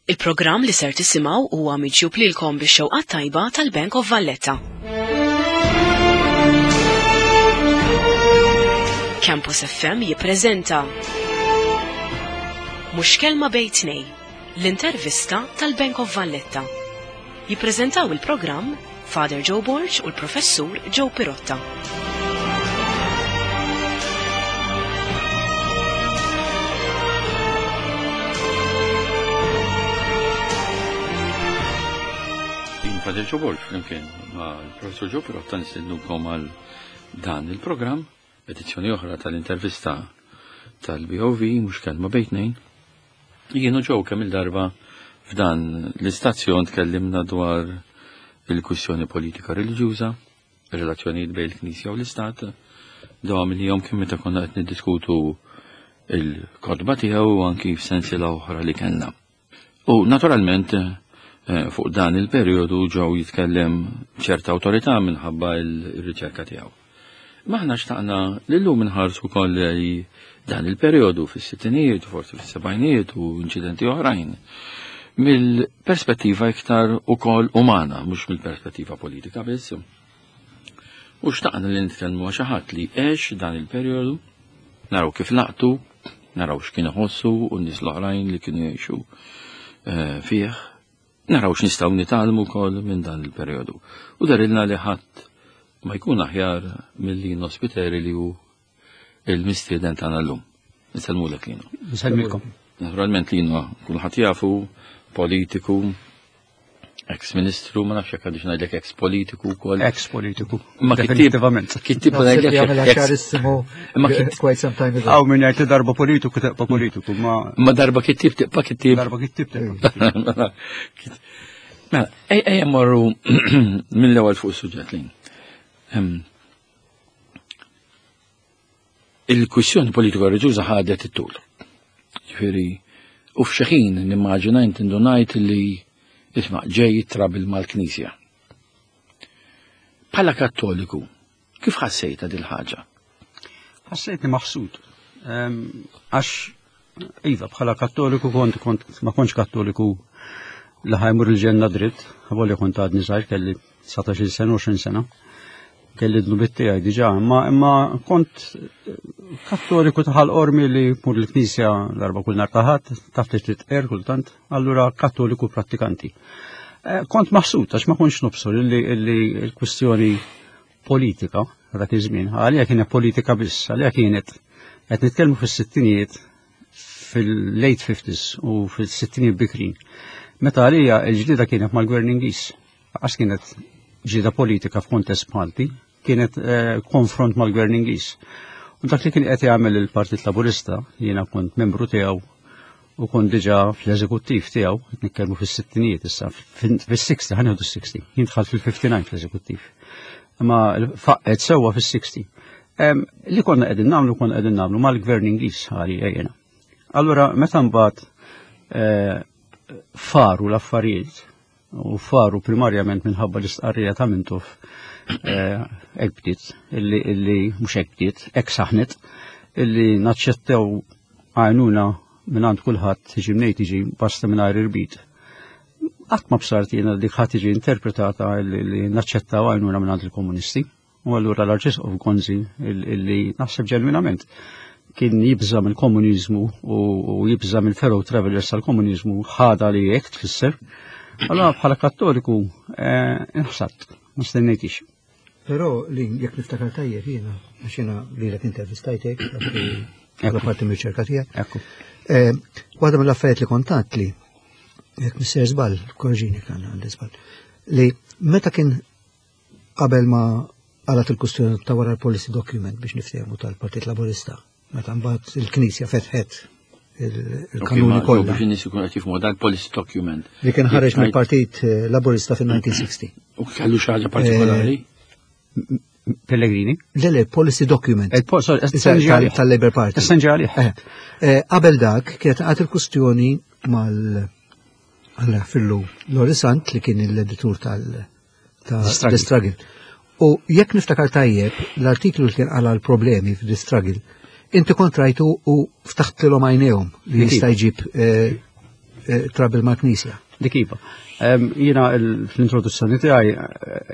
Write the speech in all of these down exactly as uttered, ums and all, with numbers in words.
Il-programm li ser tisimgħu huwa miġjub lilkom bix-xewqa tajba tal-Bank of Valletta. Campus F M jippreżenta Mhux Kelma Bejn Tnejn, l-intervista tal-Bank of Valletta. Jippreżentaw il-programm Father Joe Borg u l-Professur Joe Pirotta. Father Joe Borg flimkien ma' l-Professur Joe Pirotta nistednukom għal dan il-programm, edizzjoni oħra tal-intervista tal-B O V, Mhux Kelma Bejn Tnejn. Jien u Joe kemm il-darba f'dan l-istazzjon tkellimna dwar il-kwistjoni politika reliġjuża, ir-relazzjonijiet bejn il-Knisja u l-Istat, dawn li jom kien meta konna qed niddiskutu il-kotba tiegħu u anki f'sensiela oħra li kellna. U naturalment, eh, fuq dan il-perjodu Joe jitkellem ċerta awtorità minħabba il-riċerka tiegħu. Maħna xtaqna li llum inħarsu wkoll li dan il-perjodu fis-sittinijiet, forsi fis-sebgħinijiet u inċidenti oħrajn, mill-perspettiva iktar ukoll umana, mhux mill-perspettiva politika biss. U xtaqna li nitkellmu ma' xi ħadd li għex dan il-perjodu, naraw kif laqtu, naraw x'kien iħossu u n-nies l-oħrajn li kienu jgħixu, eh, fih, naraw x'nistgħu nitgħallmu wkoll minn dan il-perjodu. U darilna li ħadd ma jkun aħjar milli Spiteri li hu il-mistieden tagħna llum. Insellmulek Lino. Insellmilkom. Naturalment Lino kulħadd jafu, politiku, ex-ministru, ma nafx jekk għadix ngħidlek ex-politiku wkoll. Ex-politiku. Ma kittieb- Definitivament. kittieb Naħseb ngħidlek li għamel ex- ċarissimu Ma kittieb- quite some time ago. Aw min jgħid li darba politiku tibqa' politiku, ma Ma darba kittieb tibqa' kittieb. Darba kittieb tibqa' kittieb. Mela, ej, ejja mmorru mill-ewwel fuq is-suġġett Lin. Ehm, il-kwistjoni politika reliġjuża ħadet it-tul. Ġifieri, u f'xi ħin nimmaġina inti ndunajt li isma' ġej trabil mal-Knisja. Bħala Kattoliku, kif ħassejta dil ħaġa? Ħassejtni maħsud. Ehm, għax, iva, bħala Kattoliku kont, kont, ma kontx Kattoliku li ħajmur il-ġenna dritt, għavolja kont għadni żgħir, kelli dsatax-il sena, għoxrin sena, kelli dnubiet tiegħi diġà, imma, imma kont Kattoliku taħal qormi li mur l-Knisja darba kull nhar ta' Ħadd, taf li titqer kultant, allura Kattoliku prattikanti. Eh, kont maħsud għax ma kontx nobsor illi, illi l-kwistjoni politika dak iż-żmien, għalija kienet politika biss, għalija kienet qed nitkellmu fis-sittinijiet, fil-late fifties u fis-sittinijiet bikrin. Meta għalija l-ġlieda kienet mal-Gvern Ingliż, għax kienet ġlieda politika f'kuntest Malti, kienet, eh, konfront mal-Gvern Ingliż. U dak li kien qed jagħmel il-Partit Laburista, jiena kont membru tiegħu u kont diġà fl-eżekuttiv tiegħu, qed nitkellmu fis-sittinijiet issa, fin-, fis-sixty, ħa nieħdu s-sixty, jien dħalt fil-fifty-nine fl-eżekuttiv. Imma faqqet sewwa fis-sixty. Em, li konna qegħdin nagħmlu, konna qegħdin nagħmlu mal-Gvern Ingliż għalija jiena. Allura meta mbagħad, eh, faru l-affarijiet u faru primarjament minħabba l-istqarrija ta' Mintoff, eh, hekk bdiet, illi, illi mhux hekk bdiet, hekk saħnet, illi naċċettaw għajnuna minn għand kulħadd tiġi mnejn tiġi basta mingħajr irbit. Qatt ma bsart jiena dik ħadd tiġi interpretata illi, li naċċettaw għajnuna minn għand il-komunisti. U allura l-Arċisqof Gonzi illi naħseb ġenwinament kien jibża mill-komuniżmu u, u jibża mill-fellow travelers tal-komuniżmu, ħada li hekk tfisser. Allora bħala Kattoliku, eh, inħsadt, ma stennejtix. Però li jekk niftakar tajjeb jiena, għax jiena lilek intervistajtek, bħala parti mir-riċerka tiegħek. Ekku. Eh, waħda mill-affarijiet li kontat li, jekk missier żball, korġini kan għandi żball, li meta kien qabel ma qalat il-kustjoni ta' wara l-policy document biex niftehmu tal-Partit Laburista, meta mbagħad il-Knisja fetħet il-, il-kanuni Ok, ma kollha. Biex in-nies ikunu qed jifhmu dan policy document. Li kien ħareġ Jekk mill-Partit Laburista fin-nineteen sixty. U kellu xi ħaġa partikolari? Eh, Pellegrini? Le, le, policy document. Eh, po-, sorry, Issa, essenġi tal-, għalih. tal-Labour Party. Essenġi għalih. Eh, eh, qabel dak kienet għad il-kustjoni mal Alla fillu Lorisant li kien l-editur tal-, ta' The Struggle. The Struggle. U jekk niftakar tajjeb, l-artiklu li kien għala l-problemi f'The Struggle, inti kont rajtu u ftaħt lilhom għajnejhom li Inti. jista' jġib, eh, trouble mal-Knisja. Dik iva. Jiena fl-introduzzjoni tiegħi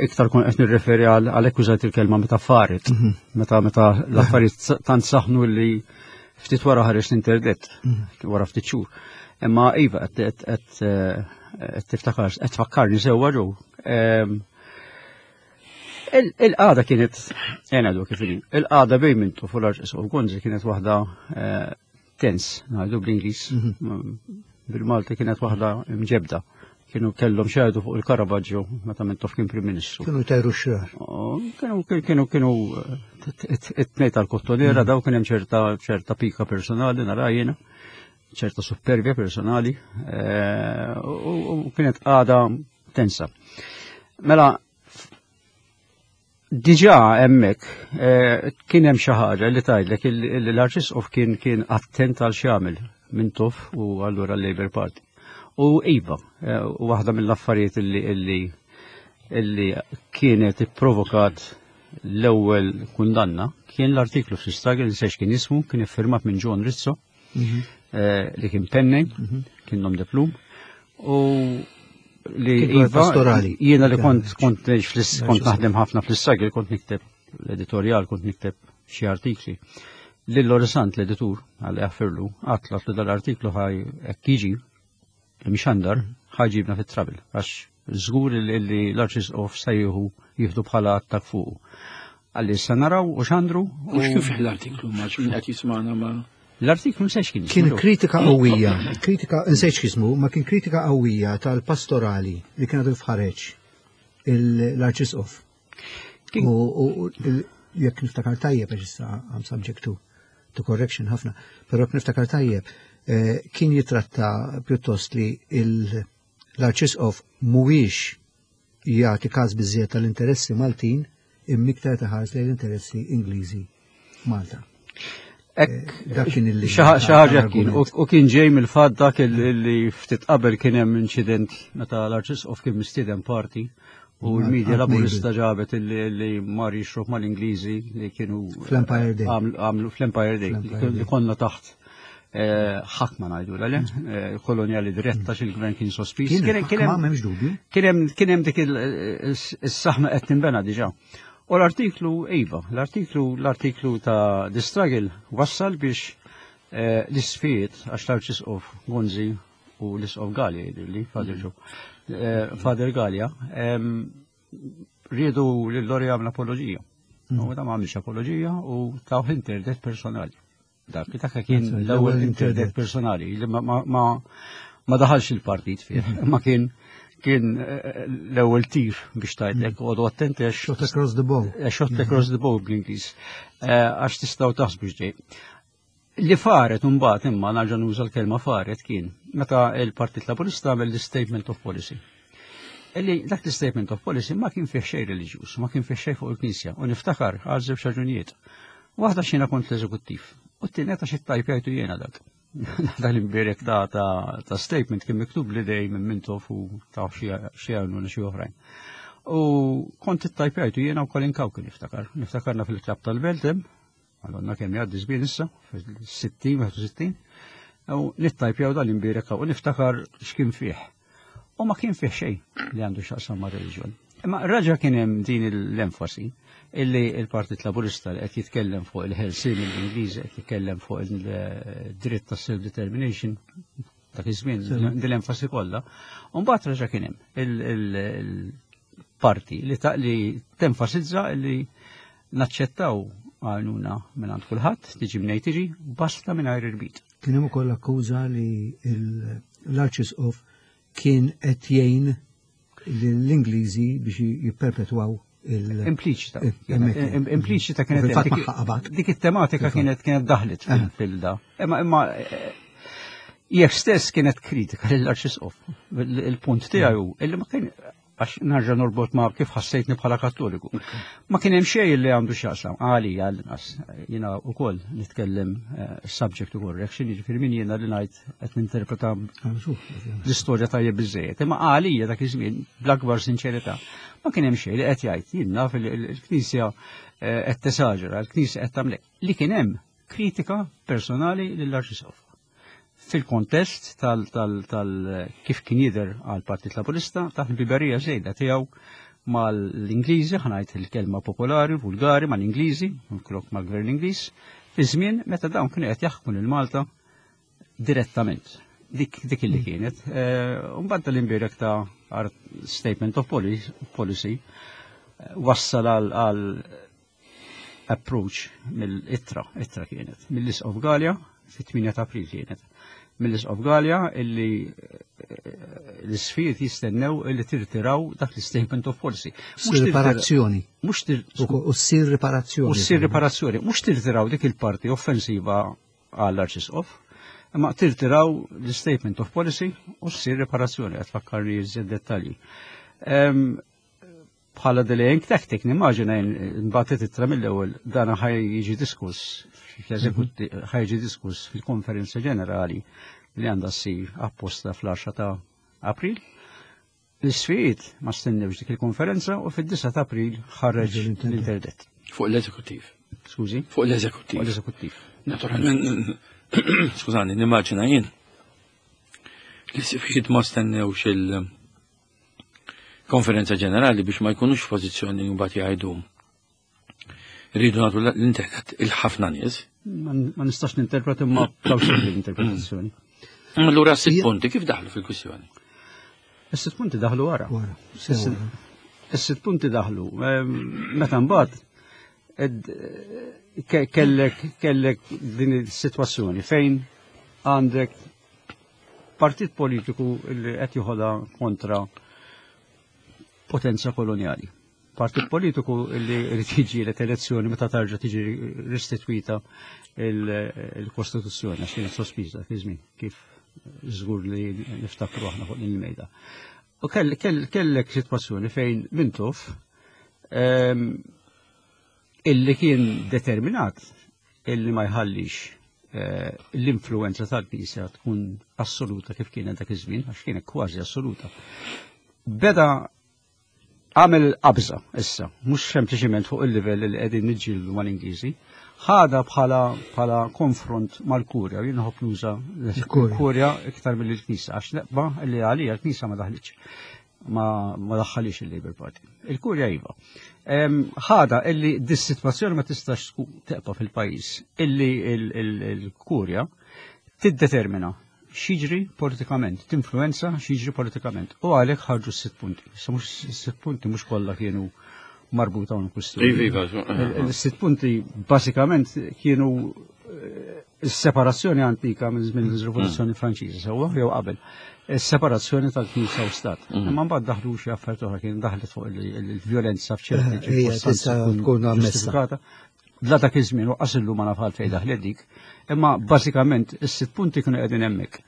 iktar kont qed nirreferi għal akkużat il-kelma meta faret, meta meta l-affarijiet tant saħnu li ftit wara ħareġ l-internet, wara ftit xhur. Imma iva qed tiftakar, qed tfakkarni sewwa ġew. Il-qagħda kienet, ngħidu kif inhi, il-qagħda bejn Mintoff u l-Arċisqof Gonzi kienet waħda tense, ngħidu bl-Ingliż, bil-Malti kienet waħda mġebda. Kienu kellhom xehdu fuq il-Caravaggio meta Mintoff kien Prim Ministru. Kienu tajru xrar. Kienu kienu kienu it-tnejn tal-kottonera daw kien hemm ċerta ċerta pika personali nara jiena, ċerta supervja personali, u kienet qagħda tensa. Mela diġà hemmhekk kien hemm xi ħaġa li tgħidlek l-Arċisqof kien kien attent għal x'jagħmel Mintoff u allura l-Labour Party. U iva, waħda mill-affarijiet illi illi kienet ipprovokat l-ewwel kundanna kien l-artiklu fl-Struggle, nsejx kien ismu, kien iffirmat minn John Rizzo, li kien pennej, kien nom de plume, u li iva, jiena li kont kont kont naħdem ħafna fl-Struggle, kont nikteb l-editorial, kont nikteb xi artikli. Lil Lorisant l-editur, għalli għaffirlu, għatlat li dal-artiklu ħaj hekk jiġi mxandar ħaġibna fit-trouble, għax żgur li l-Arċisqof se jieħu jieħdu bħala attak fuqu. Għalli issa naraw u xandru. U x'kien fih l-artiklu ma x'min qed jisma'na ma. L-artiklu nsejx kien. Kien kritika qawwija, kritika nsejx x'ismu, ma kien kritika qawwija tal-pastorali li kienet il-fħareġ l-Arċisqof. U jekk niftakar tajjeb għax issa I'm subject to to correction ħafna, però jekk niftakar tajjeb kien jitratta pjuttost li l-Arċisqof mhuwiex jagħti każ biżżejjed tal-interessi Maltin imma iktar taħares lejn l-interessi Ingliżi Malta. Dak kien illi xi ħaġa kien u kien ġej mill-fatt dak li ftit qabel kien hemm inċident meta l-Arċisqof kien mistieden party u l-medja laburista ġabet li mar jixrob mal-Ingliżi li kienu fl-Empire Day. Għamlu fl-Empire Day li konna taħt ħakma ngħidu l kolonjali diretta xil-gvern kien sospiż. Kien hemm kien hemm dik is-saħma qed tinbena diġà. U l-artiklu iva, l-artiklu l-artiklu ta' The Struggle wassal biex l-isfijiet għax l-Arċisqof Gonzi u l-Isqof Galea jidhirli, Father Joe, Father Galea, riedu lil Lori għamel apologija. U da ma għamilx apologija u taw interdet personali. Dak dak kien l-ewwel interdet personali li ma ma daħalx il-partit fih, ma kien kien l-ewwel tir biex tgħidlek għodu attenti għax shot across the bow. Shot across the bow bl-Ingliż. Għax tistgħu taħsbu x'ġej. Li faret imbagħad imma nerġa' nuża l-kelma faret kien meta l-Partit Laburista għamel l-Statement of Policy. Illi dak l-Statement of Policy ma kien fih xejn reliġjuż, ma kien fih xejn fuq il-Knisja u niftakar għal żewġ raġunijiet. Waħda x'jiena kont l-eżekuttiv. U t-tieni għax it-tajpjajtu jiena dak. Dak l-imbierek ta' ta' statement kien miktub li dej minn Mintoff u ta' xi għajnuna xi oħrajn. U kont it-tajpjajtu jiena u Colin Cauchi niftakar. Niftakarna fil-klab tal-Beltem, għalonna kemm jgħaddi żmien issa, fil-sittin, wieħed u sittin, u nittajpjaw dal-imbierek u niftakar x'kien fih. U ma kien fih xejn li għandu x'jaqsam ma' reliġjon. Imma raġa kien hemm din l-enfasi illi il-Partit Laburista li qed jitkellem fuq il-ħelsien l-Ingliż, qed jitkellem fuq il-dritt ta' self-determination, dak iż-żmien din l-enfasi kollha. U mbagħad raġa kien hemm il-parti li li tenfasizza li naċċettaw għajnuna minn għand kulħadd, tiġi mnej tiġi, basta mingħajr irbit. Kien hemm ukoll akkuża li l-Arċisqof kien qed jgħin l-Ingliżi biex jipperpetwaw Impliċita. Impliċita kienet dik it-tematika kienet kienet daħlet fil-da. Imma imma jekk stess kienet kritika lill-Arċisqof. Il-punt tiegħu illi ma kien għax nerġa' norbot ma' kif ħassejtni bħala Kattoliku. Ma kien hemm xejn li għandu x'jaqsam għalija għall-inqas. Jiena wkoll nitkellem subject to correction, jiġifieri min jiena li ngħid qed ninterpreta l-istorja tajjeb biżejjed. Imma għalija dak iż-żmien bl-akbar sinċerità ma kien hemm xejn li qed jgħid jien naf il-Knisja qed tesaġera, il-Knisja qed tagħmel. Li kien hemm kritika personali lill-Arċisqof. Fil-kontest tal, tal, tal kif kien jidher għal Partit Laburista taħt il-biberija żejda tiegħu mal-Ingliżi, ħa ngħid il-kelma popolari, vulgari, mal-Ingliżi, minflok mal-Gvern Ingliż, fi żmien meta dawn kienu qed jaħkmu lil Malta direttament. Dik dik illi kienet. Mbagħad l-imbierek ta' statement of policy wassal għal approach mill-ittra, ittra kienet, mill-Isqof Galea, fit-tmienja ta' April kienet, mill-Isqof Galea illi l-isqfijiet jistennew illi tirtiraw dak l-statement of policy. Mhux riparazzjoni. Mhux U ssir riparazzjoni. U ssir riparazzjoni. Mhux tirtiraw dik il-parti offensiva għall-Arċisqof, imma tirtiraw l-statement of policy u ssir riparazzjoni, qed fakkarni iżjed dettalji. Bħala delaying tactic, nimmaġina nbagħtet ittra mill-ewwel, dan ħa jiġi diskuss ħa jiġi diskuss fil-konferenza ġenerali li għandha ssir apposta fl-għaxra ta' April. L-isqfijiet ma stennewx dik il-konferenza u fid-disgħa ta' April ħareġ l-interdett. Fuq l-eżekuttiv. Skużi? Fuq l-eżekuttiv. Fuq l-eżekuttiv. Naturalment, skużani, nimmaġina jien. L-isqfijiet ma stennewx il- konferenza ġenerali biex ma jkunux f'pożizzjoni mbagħad jgħidu rridu nagħtu l-interdett il-ħafna nies. Ma nistax ninterpreta, imma plawsibbli l-interpretazzjoni. Allura sitt punti kif daħlu fil-kwistjoni? Is-sitt punti daħlu wara. Is-sitt punti daħlu. Meta mbagħad kellek kellek din is-sitwazzjoni fejn għandek partit politiku li qed joħodha kontra potenza koloniali. Partit politiku li jrid jiġġieled elezzjoni meta tarġa' tiġi ristitwita il-Kostituzzjoni, għax kienet sospiża fi żmien, kif żgur li niftakru aħna fuq din il-mejda. U kellek sitwazzjoni fejn Mintoff, illi kien determinat illi ma jħallix eh, l-influenza tal-Knisja tkun assoluta kif kienet dak iż-żmien, għax kienet kważi assoluta. Beda għamel qabża issa, mhux sempliċiment fuq il-livell li qegħdin niġġieldu mal-Ingliżi, ħada bħala bħala konfront mal-Kurja, jien nħobb nuża l-Kurja iktar mill-Knisja, għax neqba li għalija l-Knisja ma daħlitx. Ma, ma daħħalix il-Labour Party. Il-Kurja iva. Ħada illi dis-sitwazzjoni ma tistax teqpa fil-pajjiż, illi il-Kurja tiddetermina x'jiġri politikament, tinfluenza x'jiġri politikament. U għalhekk ħarġu s-sitt punti. Issa mhux s-sitt punti mhux kollha kienu marbuta ma' kwistjoni. Iva, iva, Il-sitt punti basikament kienu s-separazzjoni antika minn żmien il-Rivoluzzjoni Franċiża, sewwa jew qabel. Is-separazzjoni tal-Knisja u Stat. Imma mbagħad daħlu xi affarijiet oħra, kien daħlet fuq il-vjolenza f'ċerti ċirkostanzi tkun ġustifikata. Bla dak iż-żmien u qasillu ma naf għalfejn daħlet dik, imma bażikament is-sitt punti kienu qegħdin hemmhekk.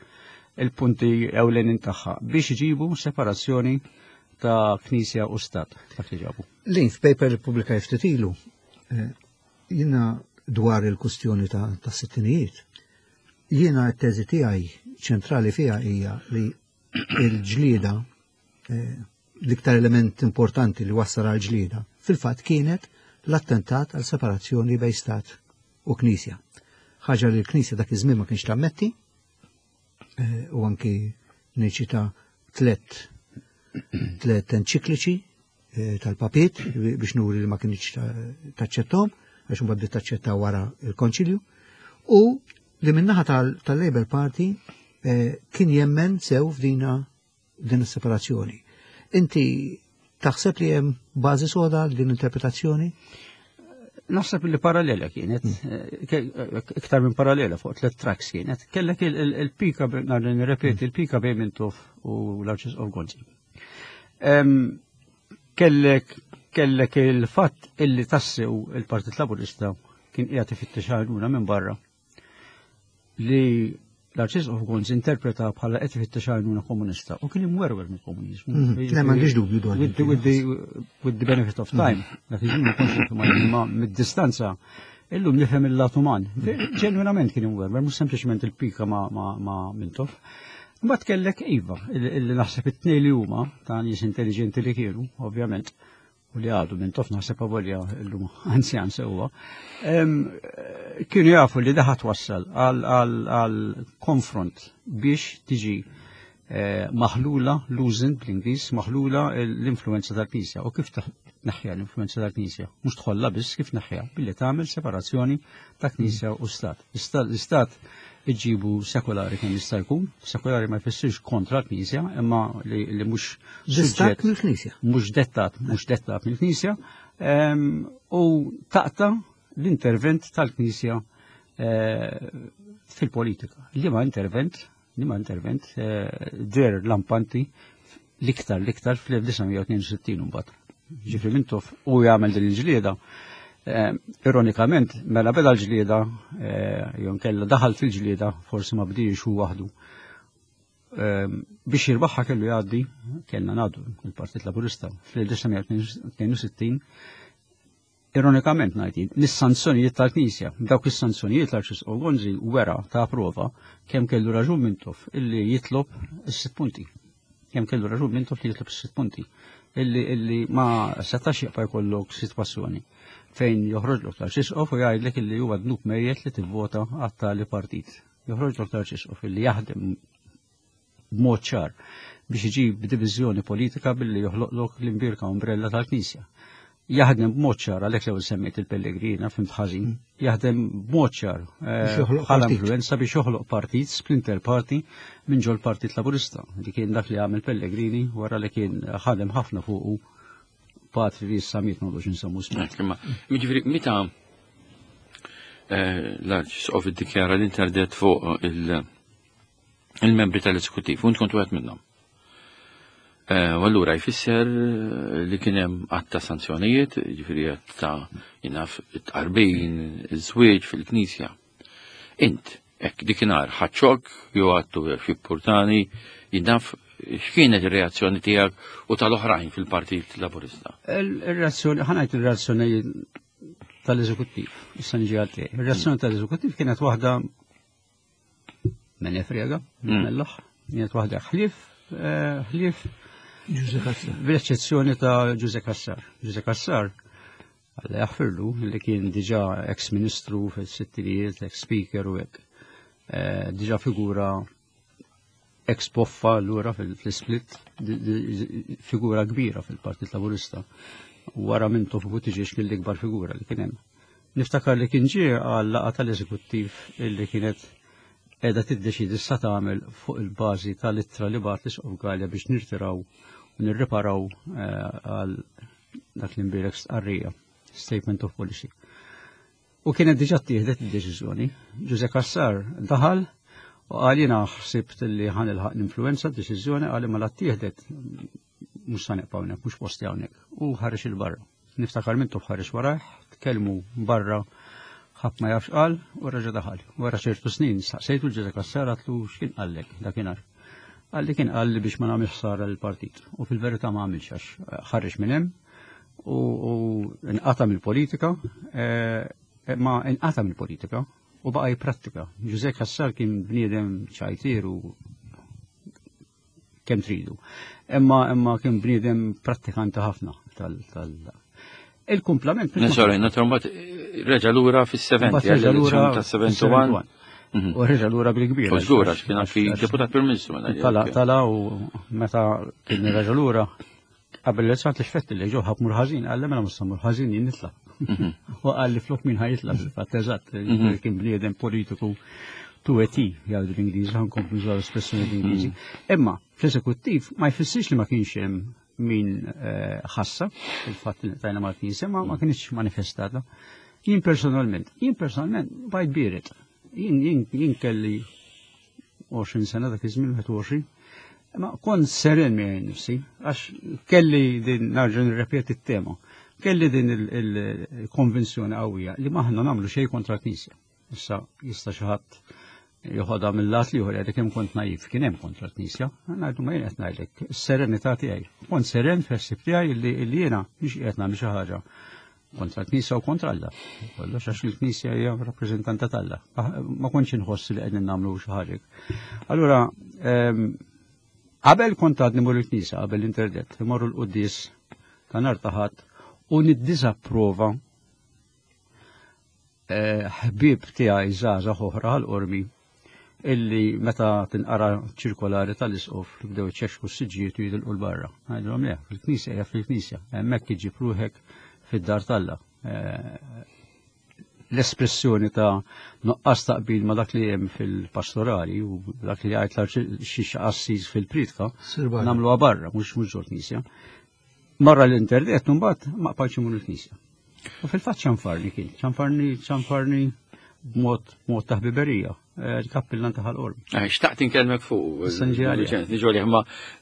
Il-punti ewlenin tagħha biex iġibu separazzjoni ta' Knisja u Stat, dak li ġabu. Lin, f'paper li pubblika ftit ilu, jiena dwar il-kustjoni ta' sittinijiet, jiena t-teżi tiegħi ċentrali fiha hija li il-ġlieda, l-iktar element importanti li wassal għal ġlieda, fil-fatt kienet l-attentat għal separazzjoni bejn Stat u Knisja. Ħaġa li l-Knisja dak iż-żmien ma kienx tammetti, u anki niċita tlet tlet enċikliċi tal-papiet biex nuri li ma kienx taċċettom, għax mbagħad bdiet taċċetta wara il-Konċilju, u li minnaħa tal-Labour Party kien jemmen sew f'dina din is-separazzjoni. Inti taħseb li hemm bażi soda għal din interpretazzjoni? Naħseb li parallela kienet, iktar minn parallela, fuq tliet tracks kienet. Kellek il-pika, nar nirrepeti, il-pika bejn Mintoff u l-Arċisqof Gonzi. Kellek kellek il-fatt illi tassew il-Partit Laburista kien qiegħed ifittex għajnuna minn barra, li l-Arċisqof Gonzi interpreta bħala qed ifittex għajnuna komunista u kien imwerwer mill-komuniżmu. Le, m'għandix dubju dwar. With the benefit of time, dak iż-żmien ma kontx nifhem, ma mid-distanza illum nifhem il-lat uman. Ġenwinament kien imwerwer, mhux sempliċement il-pika ma' ma' Mintoff. Mbagħad kellek iva, illi naħseb it-tnejn li huma ta' nies intelligenti li kienu, ovvjament, u li għadu Mintoff naħseb avolja illum anzjan sewwa, kienu jafu li daħat wassal għal konfront biex tiġi maħlula, loosened bl-Ingliż, maħlula l-influenza tal-Knisja. U kif tneħħiha l-influenza tal-Knisja? Mhux tħollha biss, kif tneħħiha? Billi tagħmel separazzjoni ta' Knisja u Stat. L-Istat iġibu sekolari kemm jista' jkun, sekolari ma jfissirx kontra l-Knisja, imma li mhux Distakk mill-Knisja. Mhux dettat, mhux dettat mill-Knisja, u taqta l-intervent tal-Knisja fil-politika. Li ma intervent, li ma intervent der lampanti l-iktar l-iktar fl-elf disa' mija u tnejn u sittin mbagħad. Ġifieri Mintoff u jagħmel din il-ġlieda. Ironikament, mela beda l-ġlieda, jew nkella daħal fil-ġlieda, forsi ma bdiex hu waħdu. Biex jirbaħha kellu jgħaddi, kellna ngħaddu il-Partit Laburista fl-elf disa' mija u tnejn u sittin, ironikament ngħid, mis-sanzjonijiet tal-Knisja. Dawk is-sanzjonijiet l-Arċisqof Gonzi wera ta' prova kemm kellu raġun Mintoff illi jitlob is-sitt punti. Kemm kellu raġun Mintoff li jitlob is-sitt punti. Illi, illi ma setax jibqa' jkollok sitwazzjoni fejn joħroġlok l-Arċisqof u jgħidlek illi huwa dnub mejjet li tivvota għat-tali partit. Joħroġlok l-Arċisqof illi jaħdem b'mod ċar biex iġib diviżjoni politika billi joħloqlok l-imbirka umbrella tal-Knisja. Jaħdem b'mod ċar, għalhekk l-ewwel semmejt il-Pellegrina, fimt ħażin, jaħdem b'mod ċar, Biex joħloq bħala partit. influenza biex joħloq partit, splinter party minn ġol Partit Laburista, li kien dak li għamel Pellegrini wara li kien ħadem ħafna fuqu patri li issa miet m'għandux insemmu ismu. Hekk, imma, jiġifieri, meta, eh, l-Arċisqof iddikjara l-interdet fuq il-, il-membri tal-eżekuttiv, u int kont wieħed minnhom. Eh, u allura jfisser li kien hemm għadd ta' sanzjonijiet, jiġifieri għadd ta' jinaf it-tqarbin, iż-żwieġ fil-Knisja. Int, hekk dikinhar ħadd xokk, jew għattu xi purtani, jinaf x'kienet ir-reazzjoni tiegħek u tal-oħrajn fil-Partit Laburista? Il-reazzjoni, ħa ngħid il-reazzjoni tal-eżekuttiv, issa niġi għal tiegħi. Ir-reazzjoni tal-eżekuttiv kienet waħda minn Efrega, Mm. mill-aħ, kienet waħda ħlief, eh, ħlief Ġuże Cassar. Bl-eċċezzjoni ta' Ġuże Cassar. Ġuże Cassar, Alla jaħfirlu, li kien diġà ex-ministru fil-sittinijiet, ex-speaker u hekk. Eh, diġà figura ex-poffa allura fil-split, di-, di-, figura kbira fil-Partit Laburista. Wara Mintoff Buttigieg kien l-ikbar figura li kien hemm. Niftakar li kien ġie għal laqgħa tal-eżekuttiv illi kienet qiegħda tiddeċidi sa tagħmel fuq il-bażi tal-ittra li bagħat l-Isqof Galea biex nirtiraw u nirriparaw, eh, għal dak li nbierek stqarrija, Statement of Policy. U kienet diġà ttieħdet id-deċiżjoni. Ġuże Cassar daħal u qal jiena ħsibt li ħa nilħaq l-influenza d-deċiżjoni, qal imma la ttieħdet mhux sa nibqa' hawnhekk, mhux posti hawnhekk. U ħareġ il barra. Niftakar Mintoff ħareġ warajh, tkellmu barra ħadd ma jafx qal u reġa' daħal. Wara ċertu snin staqsejtu l-Ġuże Cassar għatlu x'kien qallek dakinhar. Qalli kien qalli biex ma nagħmilx ħsara lill-partit. U fil-verità ma għamilx għax ħareġ minn hemm u, u nqata' mill-politika, eh, ma nqata' mill-politika u baqa' jipprattika. Ġuże Cassar kien bniedem ċajtir u kemm tridu. Imma, imma kien bniedem prattikanti ħafna tal, tal il-kumplament. Ne, sorry, naturalment, reġa' lura fis-seventy, Mbagħad reġa' lura għall-elezzjoni ta' seventy-one. fis-seventy-one. U reġa' lura bil-kbir. U żgur, għax kien anki deputat Prim Ministru mela Tala, jekk. tala u meta kien reġa' lura qabel l-elezzjoni li xfett li ġew ħab mur ħażin, qal li mela mhux mur ħażin jien nitla'. Mhm. U qal li flok min ħajitla' fil-fatt eżatt, Mhm. kien bniedem politiku to a T, jgħidu l-Ingliżi, ħa nkomplu nużaw l-espressjoni l-Ingliżi. Mhm. Imma fl-eżekuttiv ma jfissirx li ma kienx hemm min, eh, ħassa il-fatt li tajna mal-Knisja, ma, ma kienx manifestata. Jien personalment, jien personalment bajt biret. Jien, jien, jien kelli għoxrin sena dak iż-żmien, wieħed u għoxrin, ma kont seren miegħi nnifsi, għax kelli din, narġa' nirrepeti t-tema, kelli din il-, il-konvinzjoni qawwija li maħna nagħmlu xejn kontra l-Knisja. Issa jista' xi ħadd joħodha mill-lat li ieħor jgħidlek kemm kont naif, kien hemm kontra l-Knisja, ngħidu ma jien qed ngħidlek, is-serenità tiegħi. Kont seren fl-ħsieb tiegħi li, li jiena mhux qiegħed nagħmel xi ħaġa kontra l-Knisja u kontra Alla. Kollox għax il-Knisja hija rappreżentanta t'Alla. Ma kontx inħoss li qegħdin nagħmlu xi ħaġa. Allura, ehm, qabel kont għadni mmur il-Knisja, qabel l-interdet, imorru l-quddies ta' nhar ta' Ħadd U niddisapprova eh, ħbieb tiegħi żgħażagħ oħra Ħal Qormi illi meta tinqara ċirkolari tal-isqof bdew iċexxu s-siġġijiet u jitilqu 'l barra. Ngħidilhom le, fil-knisja hija fil-knisja, hemmhekk iġib ruħek fid-dar t'Alla. Eh, l-espressjoni ta' nuqqas taqbil ma' dak li hemm fil-pastorali u dak li jgħid xi qassis fil-pritka, nagħmluha barra, mhux mhux ġol knisja. Marra l-internet mbagħad ma qbajtx imur il-knisja. U fil-fatt ċanfarni kien, ċanfarni ċanfarni b'mod mod ta' ħbiberija, eh, il-kappillan ta' Ħal Qormi. Eh, xtaqt inkellmek fuq. Issa niġi għalih. Niġu għalih, ma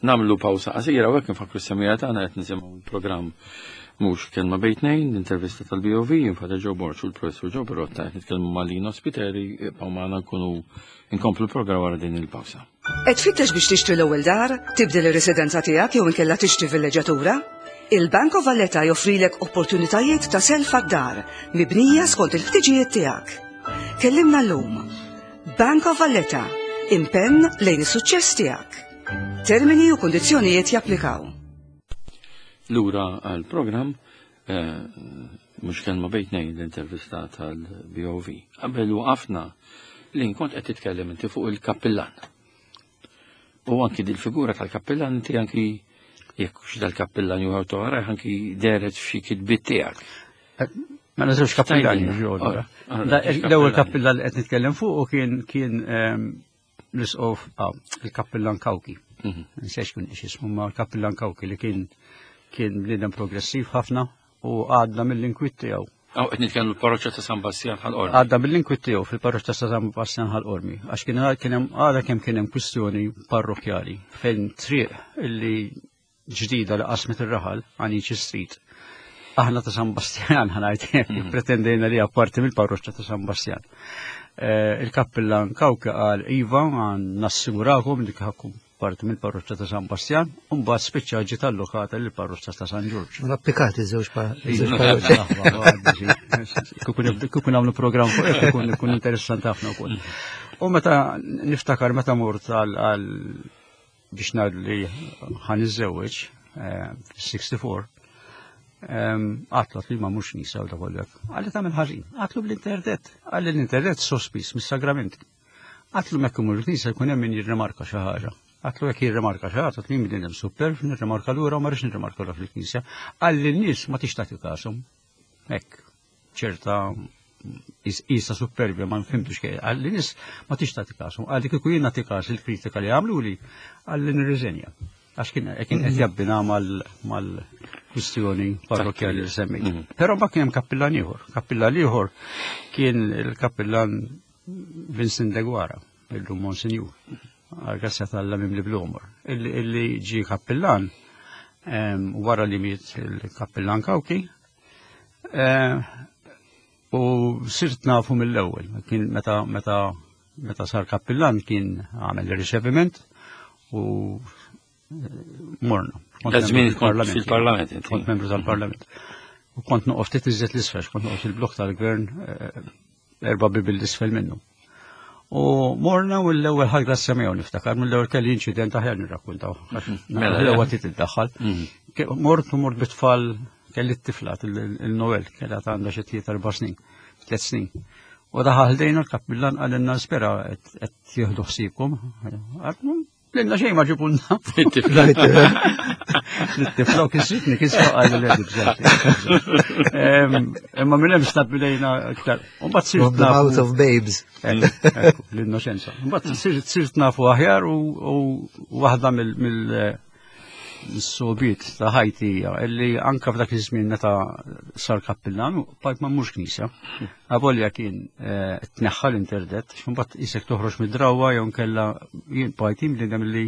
nagħmlu pawsa qasira u hekk nfakru s-semmiegħa tagħna qed nisimgħu il-programm Mhux Kelma Bejn Tnejn, l-intervista tal-B O V, Father Joe Borg u l-Professur Joe Pirotta qed nitkellmu ma' Lino Spiteri, ibqgħu magħna, nkunu inkomplu l-programm wara din il-pawsa. Qed tfittex biex tixtri l-ewwel dar, tibdel ir-residenza tiegħek jew inkella tixtri villeġġatura? Il-Bank of Valletta joffrilek opportunitajiet ta' self għad-dar mibnija skont il-ħtiġijiet tiegħek. Kellimna llum. Bank of Valletta, impenn lejn is-suċċess tiegħek. Termini u kondizzjonijiet japplikaw. Lura għal-programm eh, Mhux Kelma Bejn Tnejn, l-intervista tal-B O V. Qabel waqafna li kont qed titkellem inti fuq il-kappillan. U anki dil-figura tal-kappillan inti anki jekk hux dal-kappillan jew toħra anki dehret f'xi kitbiet tiegħek. Ma żewġ kappillani Tgħidilna. ġew. Ora, ora, Da- żewġ L-ewwel kappillani. kappillan li qed nitkellem fuq u kien kien ehm, l-isqof ah, il-kappillan Kawki. Mhm. Nsejx kien x'ismu, ma l-kappillan Kawki li kien kien bniedem progressiv ħafna u għadda mill-inkwiet tiegħu. Aw qed nitkellmu l-parroċċa ta' San Bastian Ħal Qormi. Għadda mill-inkwiet tiegħu fil-parroċċa ta' San Bastian Ħal Qormi għax kien kien hemm għadha kemm kien hemm kwistjoni parrokkjali fejn triq illi ġdida li qasmet ir-raħal, Anici Street. Aħna ta' San Bastian, ħa ngħid, pretendejna li apparti mill-parroċċa ta' San Bastian. Eh, Il-kappillan Kawki qal iva, għan nassigurakom li ħakkum parti mill-parroċċa ta' San Bastian, u mbagħad spiċċa ġiet allokata lill-parroċċa ta' San Ġorġ. Ma applikati żewġ pa- żewġ parroċċi. Kieku nagħmlu programm fuq hekk ikun ikun interessanti ħafna wkoll. U meta niftakar meta mort għal għal biex ngħid li ħa niżżewweġ fis-sixty-four, għedtlu li ma mhux nisa u da kollu. Qalli tagħmel ħażin. Għedtlu bl-internet. Qalli l-internet sospiż mis-sagramenti. Għedtlu mekk imur il-knisja jkun hemm min jirrimarka xi ħaġa. Għedtlu jekk jirrimarka xi ħaġa, għedtlu jien hemm super, nirrimarka lura u ma rridx nirrimarka lura fil-knisja. Qalli n-nies ma tix tagħti kashom. Hekk, ċerta isa superbja, ma nfimtux kej. Qalli nies ma tix tagħti kashom. Qalli kieku jien nagħti kas il-kritika li għamlu li, qalli nirriżenja. Għax kien kien qed jabbina mal-kwistjoni parrokkjali li semmejt. Mhm. Però ma kien hemm kappillan ieħor. Kappillan ieħor kien il-kappillan Vincent Deguara, illum Monsinjur. Għal-grazzja t'Alla mimli bl-għomor. Illi illi ġi kappillan em, wara li miet il-kappillan Kawki, eh, u sirt nafu mill-ewwel. Kien meta meta meta sar kappillan kien għamel il-riċeviment u eh, morna. Kont Da żmien membru kont tal-Parlament. fil-Parlament, inti. Kont membru tal-Parlament. U kont noqgħod ftit iżjed l-isfel, kont noqgħod fil-blok tal-gvern eh, erba' bibil l-isfel minnu. U morna u l-ewwel ħadd grazzja miegħu niftakar, mill-ewwel kelli inċident, aħjar nirrakkuntaw. Mela, L-ewwel tit iddaħħal. Mhm. Ke- Mort u mort bit-tfal, kelli t-tifla il-Noel, kellha għandha xi tliet erba' snin, tliet snin. U daħal ħdejna l-kappillan, qalilna spera qed jieħdu ħsiebkom. Għedna, lilna xejn ma ġibulna. It-tifla. L-tifla u kisritni, kisra għalli li għedi. Imma minn hemm stabbilejna iktar. U mbagħad sirt Of the nafu- mouth of babes. Ekku, ekku, l-innoċenza. Mbagħad sirt sirt nafu aħjar u u waħda mill mill mis-sobiet ta' ħajti hija illi anka f'dak iż-żmien meta sar kappillan bqajt ma mmurx knisja. Avolja kien eh, tneħħa l-interdet, x'imbagħad isek toħroġ mid-drawwa jew nkella jien bqajt bniedem li